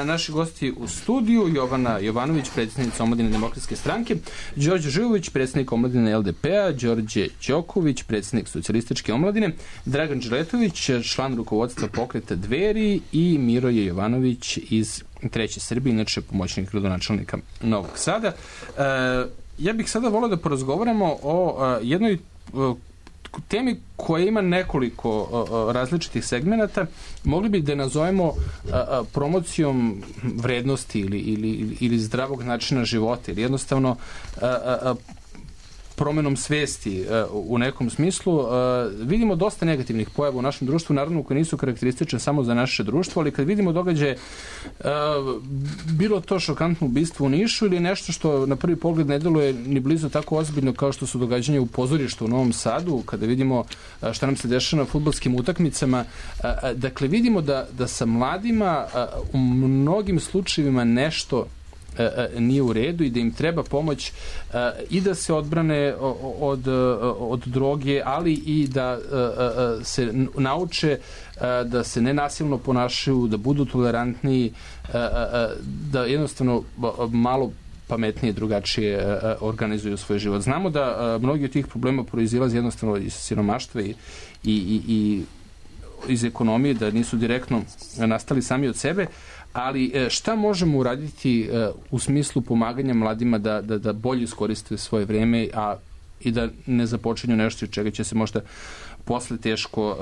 Naši gosti u studiju: Jovana Jovanović, predsjednica Omladine Demokratske stranke, Đorđe Živović, predsjednik Omladine LDP-a, Đorđe Đoković, predsjednik Socijalističke omladine, Dragan Đeletović, član rukovodstva Pokreta Dveri i Miroje Jovanović iz Treće Srbije, inače pomoćnik gradonačelnika Novog Sada. Ja bih sada volio da porazgovaramo o jednoj temi koja ima nekoliko različitih segmenata. Mogli bi da je nazovemo promocijom vrednosti ili zdravog načina života, ili jednostavno promenom svesti u nekom smislu. Vidimo dosta negativnih pojava u našem društvu, naravno koje nisu karakteristične samo za naše društvo, ali kad vidimo događaje, bilo to šokantno ubistvo u Nišu ili nešto što na prvi pogled ne deluje ni blizu tako ozbiljno kao što su događanja u pozorištu u Novom Sadu, kada vidimo šta nam se dešava na fudbalskim utakmicama. Dakle, vidimo da sa mladima u mnogim slučajevima nešto nije u redu i da im treba pomoć i da se odbrane od droge, ali i da se nauče da se nenasilno ponašaju, da budu tolerantniji, da jednostavno malo pametnije, drugačije organizuju svoj život. Znamo da mnogi od tih problema proizilaze jednostavno iz siromaštva i iz ekonomije, da nisu direktno nastali sami od sebe, ali šta možemo uraditi u smislu pomaganja mladima da bolje iskoriste svoje vreme i da ne započinju nešto od čega će se možda posle teško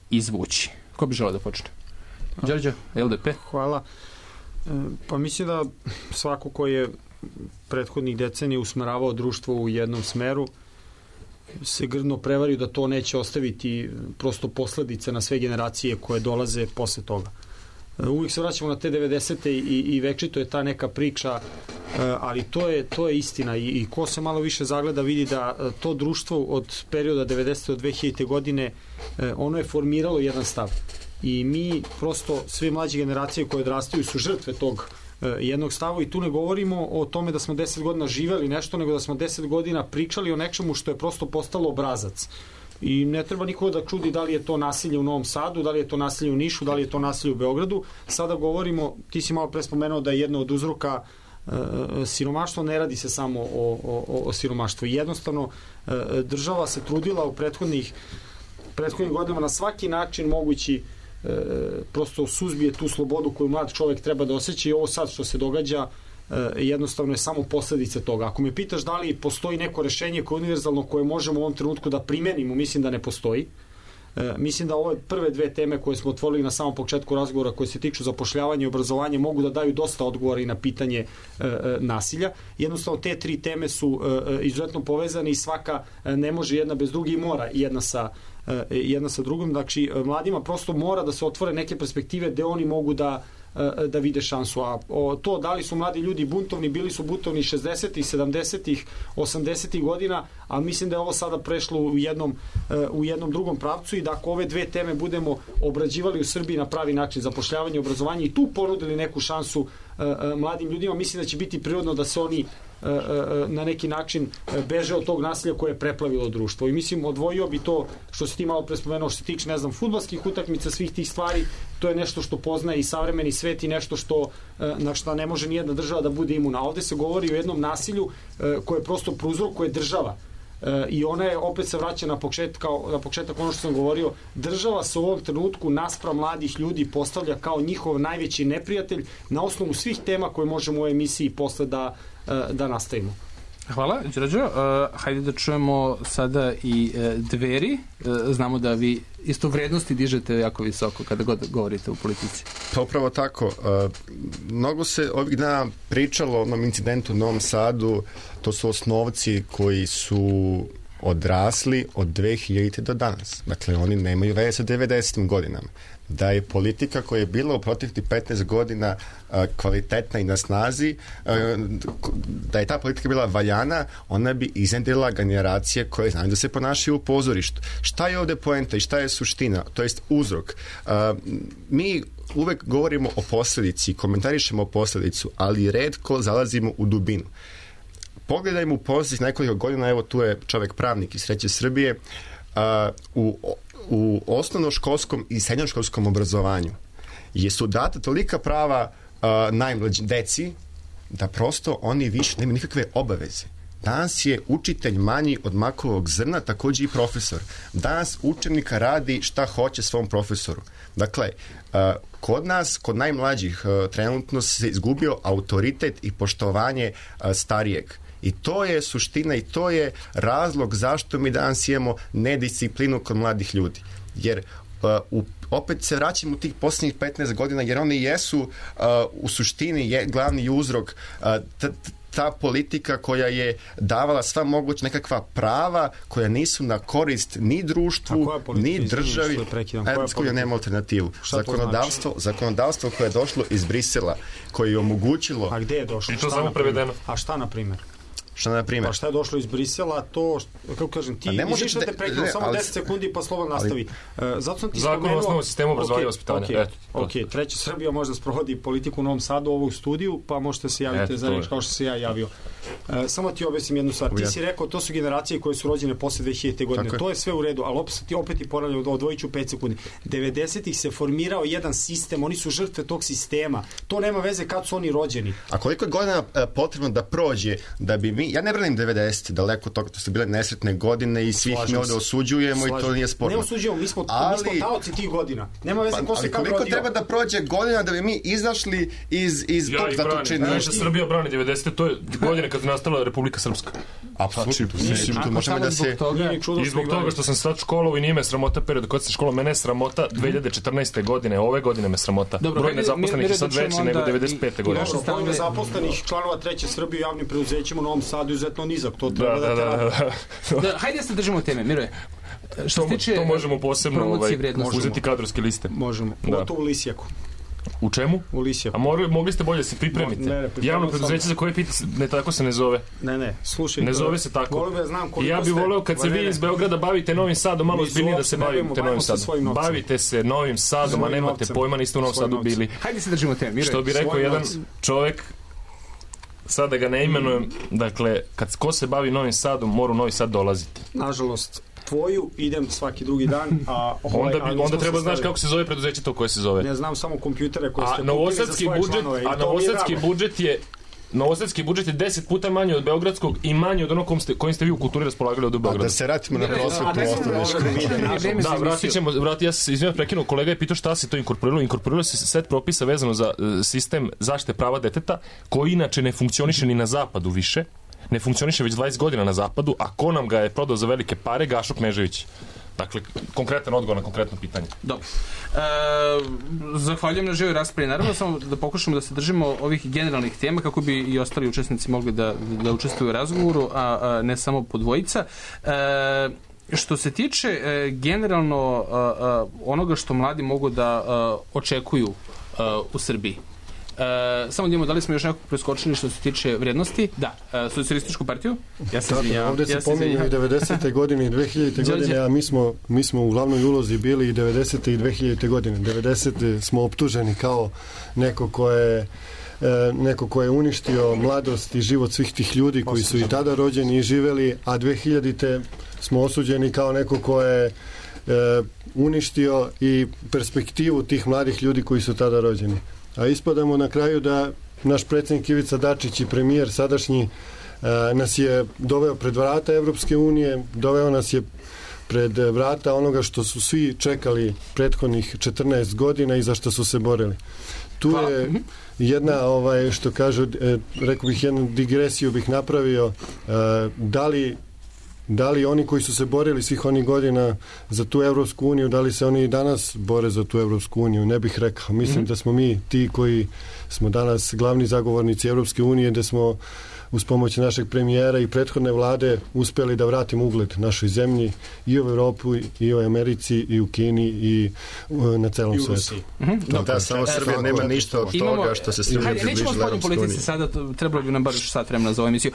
izvući? Ko bi želeo da počne? Đorđe, LDP? Hvala. Pa mislim da svako ko je prethodnih decenija usmeravao društvo u jednom smeru se grdno prevario da to neće ostaviti prosto posledice na sve generacije koje dolaze posle toga. Uvijek se vraćamo na te 90. i večito je ta neka priča, ali to je istina i ko se malo više zagleda vidi da to društvo od perioda 90. do 2000. godine ono je formiralo jedan stav i mi prosto sve mlađe generacije koje odrastaju su žrtve tog jednog stava i tu ne govorimo o tome da smo 10 godina živeli nešto, nego da smo 10 godina pričali o nečemu što je prosto postalo obrazac. I ne treba nikoga da čudi da li je to nasilje u Novom Sadu, da li je to nasilje u Nišu, da li je to nasilje u Beogradu. Sada govorimo, ti si malo pre spomenuo da je jedno od uzroka siromaštvo, ne radi se samo o siromaštvu. Jednostavno, država se trudila u prethodnih godinama na svaki način mogući prosto suzbije tu slobodu koju mlad čovjek treba da osjeća i ovo sad što se događa jednostavno je samo posledice toga. Ako me pitaš da li postoji neko rešenje koje je univerzalno koje možemo u ovom trenutku da primenimo, mislim da ne postoji. Mislim da ove prve dve teme koje smo otvorili na samom početku razgovora koje se tiču zapošljavanja i obrazovanja mogu da daju dosta odgovora i na pitanje nasilja. Jednostavno te tri teme su izuzetno povezane i svaka ne može jedna bez druge i mora jedna sa drugom. Znači, mladima prosto mora da se otvore neke perspektive gde oni mogu da vide šansu. A to da li su mladi ljudi buntovni, bili su buntovni 60-ih, 70-ih, 80-ih godina, ali mislim da je ovo sada prešlo u jednom drugom pravcu i da ako ove dve teme budemo obrađivali u Srbiji na pravi način, zapošljavanje i obrazovanje i tu ponudili neku šansu mladim ljudima, mislim da će biti prirodno da se oni na neki način beže od tog nasilja koje je preplavilo društvo. I mislim, odvojio bi to što si ti malo prespomenuo, što se tiče, ne znam, fudbalskih utakmica, svih tih stvari, to je nešto što poznaje i savremeni svet i nešto na što ne može nijedna država da bude imuna. Ovde se govori o jednom nasilju koje prosto prouzrokuje država. I ona je, opet se vraća na početak ono što sam govorio, država se u ovom trenutku naspram mladih ljudi postavlja kao njihov najveći neprijatelj na osnovu svih tema koje možemo u ovoj emisiji posle da nastavimo. Hvala, Đorđo. Hajde da čujemo sada i Dveri. Znamo da vi isto vrednosti dižete jako visoko kada god govorite u politici. Pa upravo tako. Mnogo se ovih dana pričalo o onom incidentu u Novom Sadu. To su osnovci koji su odrasli od 2000. do danas. Dakle, oni nemaju veze sa 90. godinama. Da je politika koja je bila u proteklih 15 godina kvalitetna i na snazi, da je ta politika bila valjana, ona bi iznedrila generacije koje znaju da se ponašaju u pozorištu. Šta je ovde poenta i šta je suština? To jest uzrok. Mi uvek govorimo o posledici, komentarišemo o posledicu, ali retko zalazimo u dubinu. Pogledajmo u posljednjih nekoliko godina, evo tu je čovek pravnik iz Sreće Srbije, u osnovnoškolskom i srednjoškolskom obrazovanju su data tolika prava najmlađim deci da prosto oni više nemaju nikakve obaveze. Danas je učitelj manji od makovog zrna, takođe i profesor. Danas učenika radi šta hoće svom profesoru. Dakle, kod nas, kod najmlađih, trenutno se izgubio autoritet i poštovanje starijeg. I to je suština i to je razlog zašto mi danas imamo nedisciplinu kod mladih ljudi. Jer opet se vraćamo u tih posljednjih 15 godina, jer oni jesu u suštini glavni uzrok ta politika koja je davala sva moguća nekakva prava koja nisu na korist ni društvu, ni državi. Koja nema alternativu. Zakonodavstvo koje je došlo iz Brisela, koje je omogućilo... A gde je došlo? I to samo prevedeno. A šta, na primjer? Pa šta je došlo iz Brisela, to, kako kažem, ti izviš da te prekinu samo 10 sekundi pa slobodno nastavi. Zato sam ti spomenuo... Zakon o osnovu sistemu obrazovanja i vaspitanja. Treća Srbija možda sprovodi politiku u Novom Sadu, ovu studiju, pa možete se javiti za reč kao što se ja javio. Samo ti objasnim jednu stvar. Ti si rekao, to su generacije koje su rođene posle 2000. godine. To je sve u redu, ali opet ti ponavljam, odvojit ću 5 sekundi. 90-ih se formirao jedan sistem, oni su žrtve tog sistema. To nema veze kad su oni rođeni. A koliko je godina potrebno da prođe da bi mi... Ja ne branim 90, daleko toga, to su bile nesretne godine i svih mi ovdje osuđujemo i to nije sporno. Ne osuđujemo, mi smo taoci tih godina. Nema veze ko se kako rodio. Ali koliko treba da prođe godina da bi mi izašli iz tog zatočenja? Naša Srbija brani 90. To je godine kad je nastala Republika Srpska. Apsolutno. Možemo da se... I zbog toga što sam sad školovao i nije me sramota period kad se školovao, mene je sramota 2014. godine, ove godine me sramota. Broj nezaposlenih je sad veći nego 95. godine. Broj nezaposlenih članova treće Srbije u javnim preduzećima u Novom Sadu izuzetno nizak, to treba da te radi. Hajde se držimo teme, Miroje. To možemo posebno uzeti kadrovske liste. Možemo, pogotovo u Lisijaku. U čemu? U Lisijaku. A mogli ste bolje da se pripremite. Javno preduzeće za koje pitate, ne tako se ne zove. Ne, slušaj. Ne zove se tako. Ja bih voleo kad se vi iz Beograda bavite Novim Sadom, malo ozbiljnije da se bavite Novim Sadom. Bavite se Novim Sadom, a nemate pojma, niste u Novom Sadu bili. Hajde se držimo teme, Miroje. Što bi rekao jedan čovjek, sad da ga ne imenujem, dakle, ko se bavi Novim Sadom, mora u Novi Sad dolaziti. Nažalost, tvoju idem svaki drugi dan, a onda treba znaš kako se zove preduzeće to koje se zove. Ne znam samo kompjutere koje ste kupili za svoje članove. A novosadski budžet je 10 puta manji od beogradskog i manji od onog kojim ste vi u kulturi raspolagali od Beograda. Da se vratimo na prosvetnu osnovnu školu. Da, vratit ćemo, ja se izvijem prekinuo, kolega je pitao šta se to inkorporiralo. Inkorporiralo se set propisa vezano za sistem zaštite prava deteta, koji inače ne funkcioniše ni na zapadu više. Ne funkcioniše već 20 godina na zapadu, a ko nam ga je prodao za velike pare? Gašo Knežević. Dakle, konkretan odgovor na konkretno pitanje. Dobro. Zahvaljujem na živoj raspravi. Naravno, samo da pokušamo da se držimo ovih generalnih tema kako bi i ostali učesnici mogli da učestvuju u razgovoru, a ne samo po dvojica. Što se tiče generalno onoga što mladi mogu da očekuju u Srbiji, samo da imamo, da li smo još nekako preskočili što se tiče vrednosti? Da, socijalističku partiju. Ja se izvinjavam. Ovdje se pominju i 90. godine i 2000. godine, a mi smo u glavnoj ulozi bili i 90. i 2000. godine. 90. smo optuženi kao neko ko je uništio mladost i život svih tih ljudi koji su i tada rođeni i živeli, a 2000. smo osuđeni kao neko ko je uništio i perspektivu tih mladih ljudi koji su tada rođeni. A ispadamo na kraju da naš predsjednik Ivica Dačić i premijer sadašnji nas je doveo pred vrata Evropske unije, doveo nas je pred vrata onoga što su svi čekali prethodnih 14 godina i za što su se borili. Tu je jedna, što kažu, rekao bih, jednu digresiju bih napravio, da li oni koji su se borili svih onih godina za tu Evropsku uniju, da li se oni i danas bore za tu Evropsku uniju? Ne bih rekao. Mislim da smo mi ti koji smo danas glavni zagovornici Evropske unije, da smo uz pomoć našeg premijera i prethodne vlade uspjeli da vratimo ugled našoj zemlji i u Evropu i u Americi i u Kini i na celom svijetu. Da, samo Srbija nema ništa od toga što se Srbija približila Evropskoj uniji. Nećemo spodnju politici sada, trebalo bi nam bar sat vremena za ovu emisiju.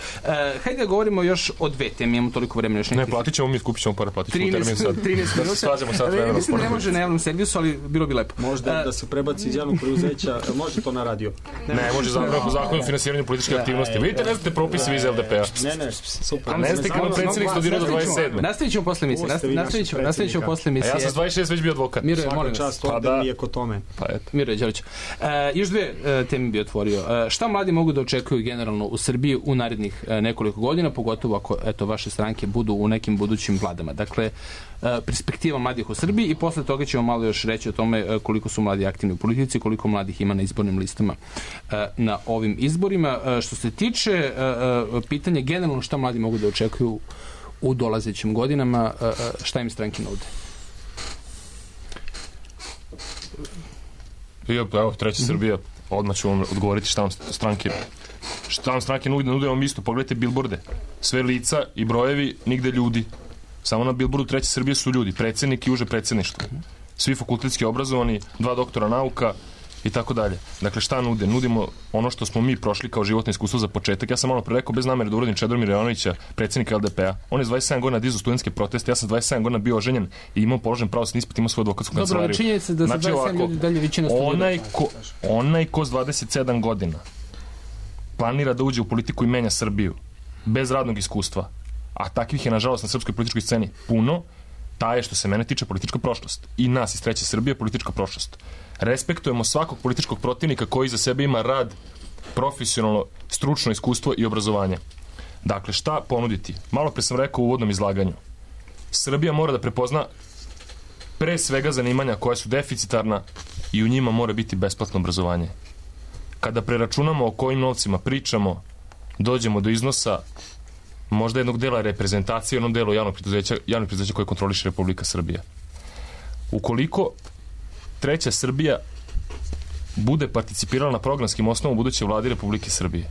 Hajde da govorimo još o dve teme, imamo toliko vremena još nekih. Ne, platit ćemo mi, skupit ćemo para, platit ćemo termin sad. 13 minuta. Da se svađamo sad vremena. Mislim, ne može na javnom servisu, ali bilo bi lepo. Možda da se prebaci iz javnog preduzeća, može to na radio. Ne, može zakon o finansiranju političke aktivnosti. Vidite, ne znate propise vi iz LDP-a. Ne, super. A ne ste kao predsjednik studirao do 27. Nastavit ćemo posle emisije. Nastavit ćemo posle emisije. A ja sam 26 već bio advokat. Miroje, molim vas. Pa mi je ko tome. Pa eto. Miroje Đorić. Još dve teme bi otvorio. Šta mladi mogu da očekuju generalno u Srbiji u narednih nekoliko godina, pogotovo ako vaše stranke budu u nekim budućim vladama? Dakle, perspektiva mladih u Srbiji i posle toga ćemo malo još reći o tome koliko su mladi aktivni u politici, koliko mladih ima na izbornim listama na ovim izborima. Što se tiče pitanja generalno šta mladi mogu da očekuju u dolazećim godinama, šta im stranke nude? Evo, treća Srbija, odmah ću vam odgovoriti šta vam stranke Šta nam stranke nude vam isto? Pogledajte bilborde. Sve lica i brojevi, nigde ljudi. Samo na bilbordu Treće Srbije su ljudi, predsjednik i uže predsjedništvo. Svi fakultetski obrazovani, 2 doktora nauka i tako dalje. Dakle, šta nude? Nudimo ono što smo mi prošli kao životno iskustvo za početak. Ja sam malo pre rekao, bez namere da uradim Čedomira Jovanovića, predsjednika LDP-a. On je s 27 godina dizao studentske proteste, ja sam 27 godina bio oženjen i imao položen pravosudni ispit, imao svoju advokatsku kancelariju. Dobro, činjenica da sa 27 ljudi dalje većina studira. Onaj ko s 27 godina planira da uđe u politiku i menja Srbiju bez radnog iskustva, a takvih je nažalost na srpskoj političkoj sceni puno, ta je što se mene tiče politička prošlost. I nas iz Treće Srbije politička prošlost. Respektujemo svakog političkog protivnika koji za sebe ima rad, profesionalno, stručno iskustvo i obrazovanje. Dakle, šta ponuditi? Malo pre sam rekao u uvodnom izlaganju. Srbija mora da prepozna pre svega zanimanja koja su deficitarna i u njima mora biti besplatno obrazovanje. Kada preračunamo o kojim novcima pričamo, dođemo do iznosa možda jednog dela reprezentacije, jednog dela javnog preduzeća koje kontroliše Republika Srbija. Ukoliko Treća Srbija bude participirala na programskim osnovom buduće vlade Republike Srbije,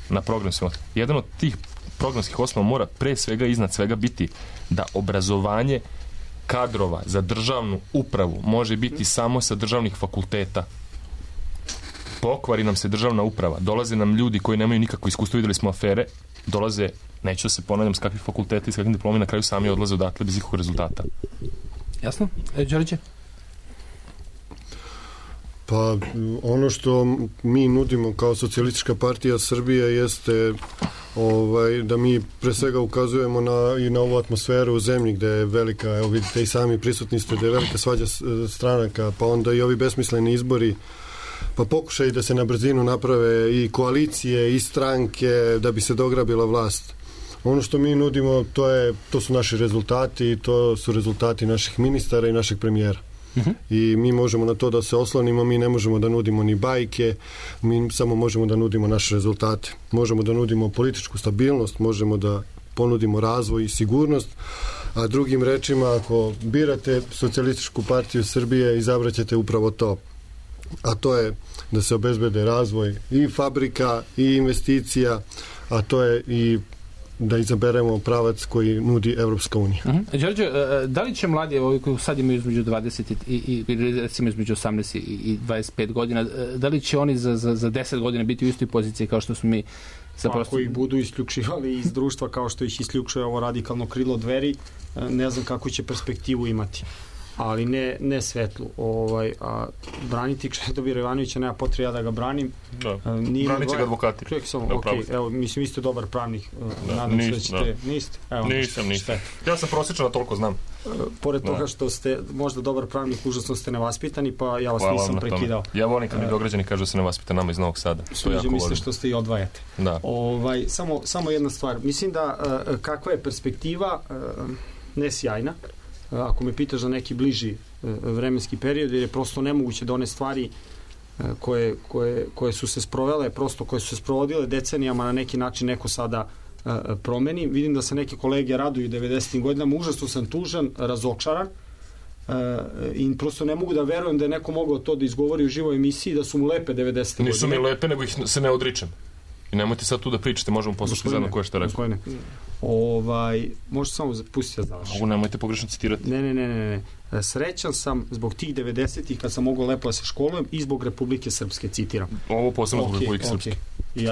na programskim osnovom, jedan od tih programskih osnova mora pre svega iznad svega biti da obrazovanje kadrova za državnu upravu može biti samo sa državnih fakulteta. Pokvari nam se državna uprava, dolaze nam ljudi koji nemaju nikakvo iskustvo, videli smo afere, dolaze, neću da se ponavljam s kakvih fakulteta i s kakvim diplomima, na kraju sami odlaze odatle bez ikakvog rezultata. Jasno? Đorđe? Pa ono što mi nudimo kao Socijalistička partija Srbije jeste da mi pre svega ukazujemo i na ovu atmosferu u zemlji gde je velika, evo vidite i sami prisutni ste, gde je velika svađa stranaka, pa onda i ovi besmisleni izbori, pa pokušaj da se na brzinu naprave i koalicije i stranke da bi se dograbila vlast. Ono što mi nudimo, to su naši rezultati, to su rezultati naših ministara i našeg premijera. I mi možemo na to da se oslonimo, mi ne možemo da nudimo ni bajke, mi samo možemo da nudimo naše rezultate. Možemo da nudimo političku stabilnost, možemo da ponudimo razvoj i sigurnost, a drugim rečima, ako birate Socijalističku partiju Srbije, izabraćete upravo to. A to je da se obezbede razvoj i fabrika i investicija, a to je i da izaberemo pravac koji nudi Evropska unija. Đorđe, da li će mladi, koji sad imaju između 20 i recimo između 18 i 25 godina, da li će oni za 10 godina biti u istoj poziciji kao što smo mi? Ako ih budu isključivali iz društva kao što ih isključuje ovo radikalno krilo Dveri, ne znam kako će perspektivu imati. Ali ne svetlu. A braniti Čedomira Jovanovića nema potrebe ja da ga branim. Branit će ga advokati. Evo, mislim, vi ste dobar pravnik. Nadam se da ćete... Niste? Nisam. Ja sam prosječan, a toliko znam. Pored toga što ste možda dobar pravnik, užasno ste nevaspitani, pa ja vas nisam prekidao. Ja volim kad mi Beograđani kažu da se nevaspita nama iz Novog Sada. Sviđa mi se što ste i odvajate. Samo jedna stvar. Mislim da kakva je perspektiva ne sjajna, ako me pitaš za neki bliži vremenski period, jer je prosto nemoguće da one stvari koje su se sprovele, prosto koje su se sprovodile decenijama na neki način neko sada promeni. Vidim da se neke kolege raduju 90. godinama, užasno sam tužan, razočaran i prosto ne mogu da verujem da je neko mogao to da izgovori u živoj emisiji, da su mu lepe 90. godine. Nisu mi lepe, nego ih se ne odričem. I nemojte sad tu da pričate, možemo poslušati zajedno koje što je rekao. Možete samo pustiti da završim. Ovo nemojte pogrešno citirati. Ne. Srećan sam zbog tih 90-ih kad sam mogao lepo da se školujem i zbog Republike Srpske, citiram. Ovo posebno zbog Republike Srpske. I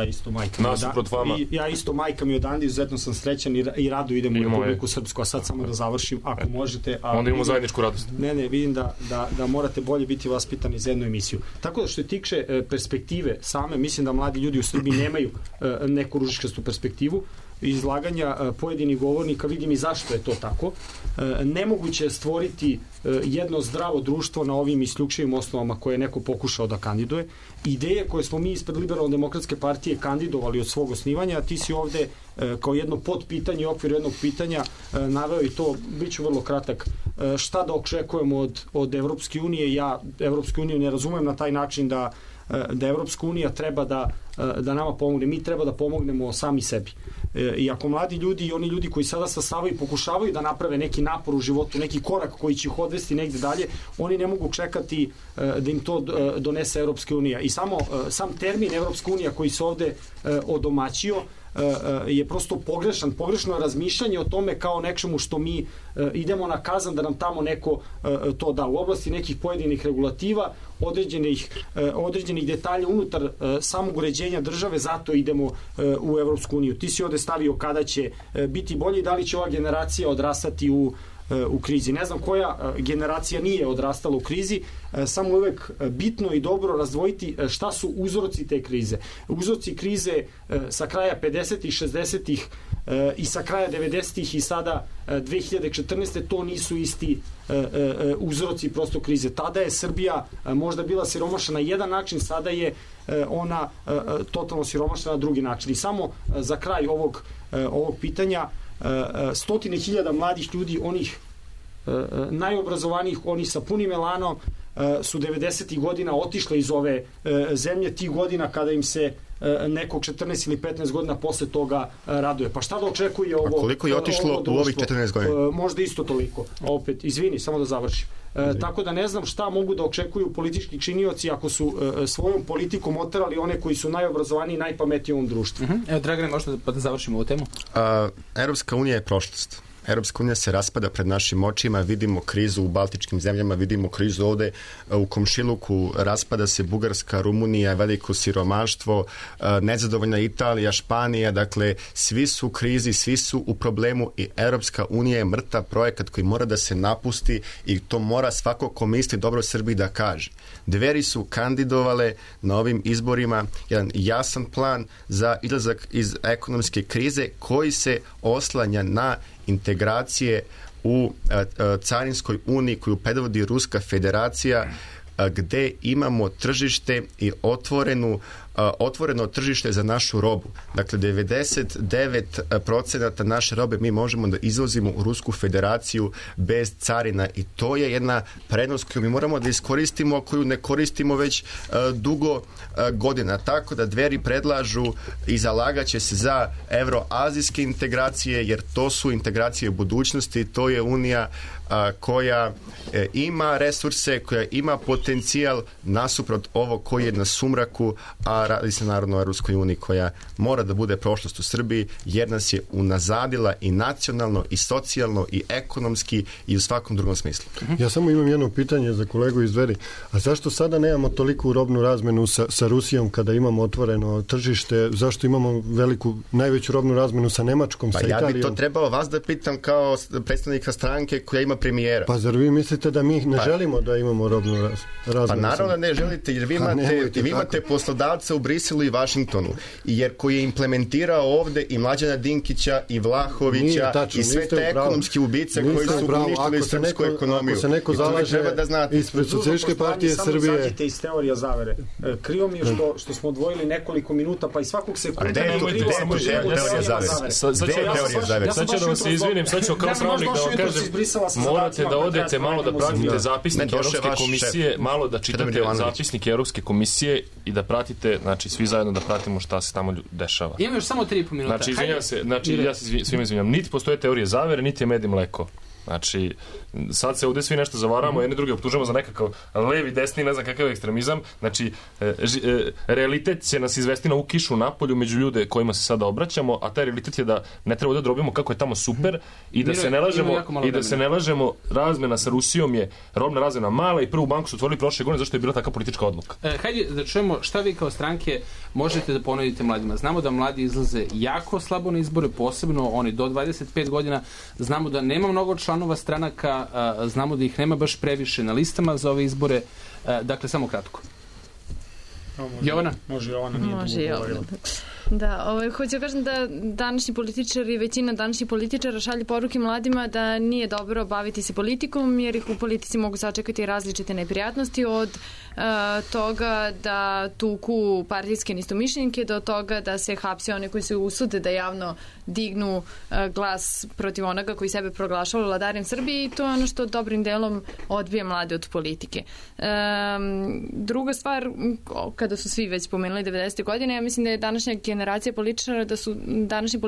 ja isto majka mi odande, izuzetno sam srećan i rado idem u Republiku Srpsku, a sad samo da završim, ako možete. Onda imamo zajedničku radost. Ne, vidim da morate bolje biti vaspitani za jednu emisiju. Tako da što je tiče perspektive same, mislim da mladi ljudi u Srbiji nemaju neku ružičkastu perspektivu. Izlaganja pojedinih govornika vidim i zašto je to tako. Nemoguće je stvoriti jedno zdravo društvo na ovim isključivim osnovama koje je neko pokušao da kandiduje. Ideje koje smo mi ispred Liberalno-demokratske partije kandidovali od svog osnivanja, a ti si ovde kao jedno podpitanje, okvir jednog pitanja naveo i to, bit ću vrlo kratak, šta da očekujemo od Evropske unije. Ja Evropsku uniju ne razumem na taj način da Evropska unija treba da nama pomogne. Mi treba da pomognemo sami sebi. I ako mladi ljudi i oni ljudi koji sada stasavaju i pokušavaju da naprave neki napor u životu, neki korak koji će ih odvesti negde dalje, oni ne mogu čekati da im to donese Evropska unija. I sam termin Evropska unija koji se ovde odomaćio je prosto pogrešan. Pogrešno je razmišljanje o tome kao nečemu što mi idemo na kazan da nam tamo neko to da. U oblasti nekih pojedinih regulativa, određenih detalja unutar samog uređenja države, zato idemo u Evropsku uniju. Ti si ovde stavio kada će biti bolje i da li će ova generacija odrastati u krizi. Ne znam koja generacija nije odrastala u krizi, samo uvek bitno i dobro razdvojiti šta su uzroci te krize. Uzroci krize sa kraja 50-ih, 60-ih i sa kraja 90-ih i sada 2014. to nisu isti uzroci prosto krize. Tada je Srbija možda bila siromašna na jedan način, sada je ona totalno siromašna na drugi način. I samo za kraj ovog pitanja, stotine hiljada mladih ljudi, onih najobrazovanijih, oni sa punim elanom su 90. godina otišle iz ove zemlje, tih godina kada im se nekog 14 ili 15 godina posle toga raduje. Pa šta da očekuje ovo? A koliko je otišlo u ovih 14 godina? Možda isto toliko. Opet, izvini, samo da završim. Tako da ne znam šta mogu da očekuju politički činioci ako su svojom politikom oterali one koji su najobrazovaniji i najpametniji u ovom društvu. Evo, Dragane, možda da završimo ovu temu? Evropska unija je prošlost. Europska unija se raspada pred našim očima, vidimo krizu u baltičkim zemljama, vidimo krizu ovde u komšiluku, raspada se Bugarska, Rumunija, veliko siromaštvo, nezadovoljna Italija, Španija, dakle svi su u krizi, svi su u problemu i Europska unija je mrtav projekat koji mora da se napusti i to mora svako ko misli dobro Srbiji da kaže. Dveri su kandidovale na ovim izborima jedan jasan plan za izlazak iz ekonomske krize koji se oslanja na integracije u carinskoj uniji koju predvodi Ruska federacija, gde imamo tržište i otvoreno tržište za našu robu. Dakle, 99% naše robe mi možemo da izvozimo u Rusku federaciju bez carina i to je jedna prednost koju mi moramo da iskoristimo, koju ne koristimo već dugo godina. Tako da Dveri predlažu i zalagaće se za evroazijske integracije, jer to su integracije u budućnosti, to je unija koja ima resurse, koja ima potencijal nasuprot ovo koji je na sumraku, a radi se naravno o Ruskoj uniji koja mora da bude prošlost u Srbiji, jer nas je unazadila i nacionalno, i socijalno, i ekonomski, i u svakom drugom smislu. Ja samo imam jedno pitanje za kolegu iz Dveri. A zašto sada nemamo toliku robnu razmenu sa Rusijom kada imamo otvoreno tržište? Zašto imamo najveću robnu razmenu sa Nemačkom, sa Italijom? Ja bi to trebao vas da pitam kao predstavnika stranke koja ima premijera. Pa zar vi mislite da mi ne želimo da imamo robnu razmenu? Pa naravno da ne želite, jer vi imate poslodavca u Briselu i Vašingtonu, jer koji je implementirao ovde i Mlađana Dinkića i Vlahovića i sve te ekonomske ubice koji su uništili srpsku ekonomiju. Ako se neko zalaže ispred Socijalističke partije Srbije... Samo zađite iz teorija zavere. Krivo mi je što smo odvojili nekoliko minuta, pa i svakog sekunda... Gde je teorija zavere? Sad ću da vam se izvinim, sad ću kao pravnik da vam kažem, morate da odete malo da pratite zapisnike Evropske komisije, malo da čitate zapisnike Evropske komisije i da pratite, znači svi zajedno da pratimo šta se tamo dešava. Imamo još samo 3,5 minuta. Znači, izvinjam se, ja se svima izvinjam, niti postoje teorije zavere, niti je med i mleko. Znači, sad se ovde svi nešto zavaramo, jedni drugi optužujemo za nekakav levi, desni, ne znam kakav ekstremizam. Znači, realitet će nas izvesti na u kišu napolju među ljude kojima se sada obraćamo, a taj realitet je da ne treba da drobimo kako je tamo super i da se ne lažemo, razmena sa Rusijom je robna razmena mala i prvu banku su otvorili prošle godine zašto je bila takva politička odluka. Hajde da čujemo šta vi kao stranke možete da ponudite mladima. Znamo da mladi izlaze jako slabo na izbore, posebno oni do 25 godina. Znamo da nema mnogo članova stranaka, znamo da ih nema baš previše na listama za ove izbore. Dakle, samo kratko. Jovana? Može Jovana, nije Može Jovana. Da, hoću kažem da današnji političari, većina današnjih političara šalje poruke mladima da nije dobro baviti se politikom, jer ih u politici mogu sačekati različite neprijatnosti, od toga da tuku partijske neistomišljenike do toga da se hapse one koji se usude da javno dignu glas protiv onoga koji sebe proglašava vladarem Srbije, i to je ono što dobrim delom odbije mlade od politike. Druga stvar, kada su svi već spomenuli 90. godine, ja mislim da je današnja generacija političara, da su današnji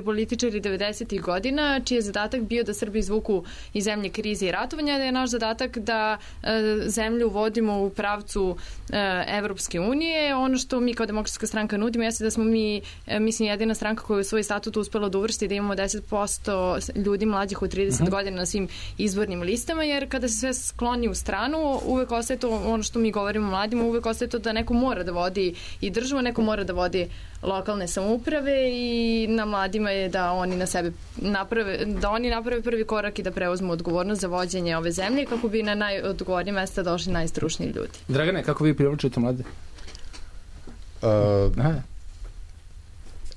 političari 90. godina, čiji je zadatak bio da Srbi izvuku iz zemlje krize i ratovanja, da je naš zadatak da zemlju vodimo u pravcu Evropske unije. Ono što mi kao Demokratska stranka nudimo jeste da smo mi, mislim, jedina stranka koja je u svoj statut uspela da uvrsti da imamo 10% ljudi mlađih od 30 godina na svim izbornim listama, jer kada se sve skloni u stranu, uvek ostaje to, ono što mi govorimo mladima, uvek ostaje to da neko mora da vodi i državu, neko mora da vodi lokalne samouprave, i na mladima je da oni na sebe naprave prvi korak i da preuzmu odgovornost za vođenje ove zemlje, kako bi na najodgovornije mesta došli najstručniji ljudi. Dragane, kako vi privlačite mlade?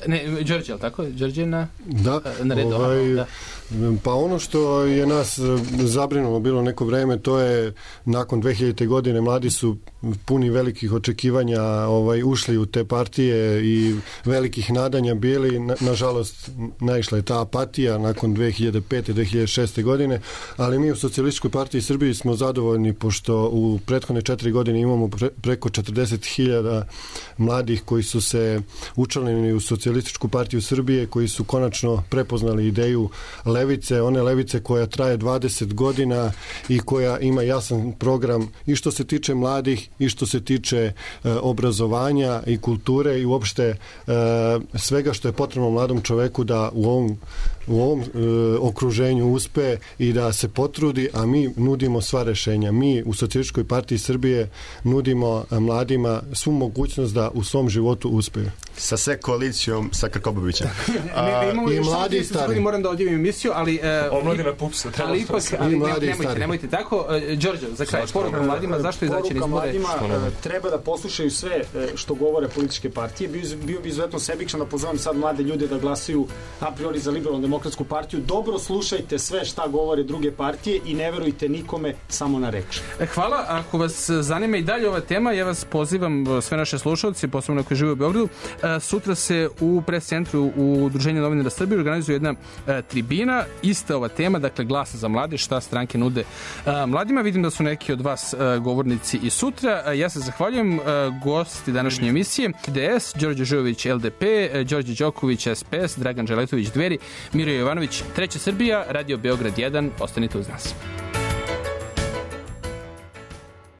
Ne, Đorđe, ali tako? Đorđe je na redu. Da. Pa ono što je nas zabrinulo bilo neko vreme, to je nakon 2000. godine mladi su puni velikih očekivanja ušli u te partije i velikih nadanja bili. Nažalost, naišla je ta apatija nakon 2005. 2006. godine, ali mi u Socijalističkoj partiji Srbiji smo zadovoljni pošto u prethodne 4 godine imamo preko 40.000 mladih koji su se učlanili u Socijalističku partiju Srbije, koji su konačno prepoznali ideju levice, one levice koja traje 20 godina i koja ima jasan program i što se tiče mladih i što se tiče obrazovanja i kulture i uopšte svega što je potrebno mladom čoveku da u ovom okruženju uspe i da se potrudi, a mi nudimo sva rešenja. Mi u Socijalističkoj partiji Srbije nudimo mladima svu mogućnost da u svom životu uspeju. Sa sve koalicijom sa Krkobabićem. I mladi i stari. Moram da odjavim emisiju, ali omladina PUPS-a. Ali ipak, nemojte tako. Đorđe, za kraj, poruka mladima, zašto izaći na izbore? Treba da poslušaju sve što govore političke partije. Bio bi izuzetno sebičan da pozovem sad mlade ljude da glasaju a priori za Liberalnu demokratsku partiju. Dobro slušajte sve šta govore druge partije i ne verujte nikome, samo na reč. Hvala. Ako vas zanima i dalje ova tema, ja vas pozivam, sve naše slušalci, posebno koji žive u Beogradu, sutra se u pres centru u Udruženju novinara Srbije organizuje jedna tribina, ista ova tema, dakle glas za mlade, šta stranke nude mladima. Vidim da su neki od vas govornici i sutra. Ja se zahvaljujem gosti današnje emisije: DS, Đorđe Žujović LDP, Đorđe Đoković SPS, Dragan Želetović Dveri, Miro Jovanović Treća Srbija, Radio Beograd 1. Ostanite uz nas.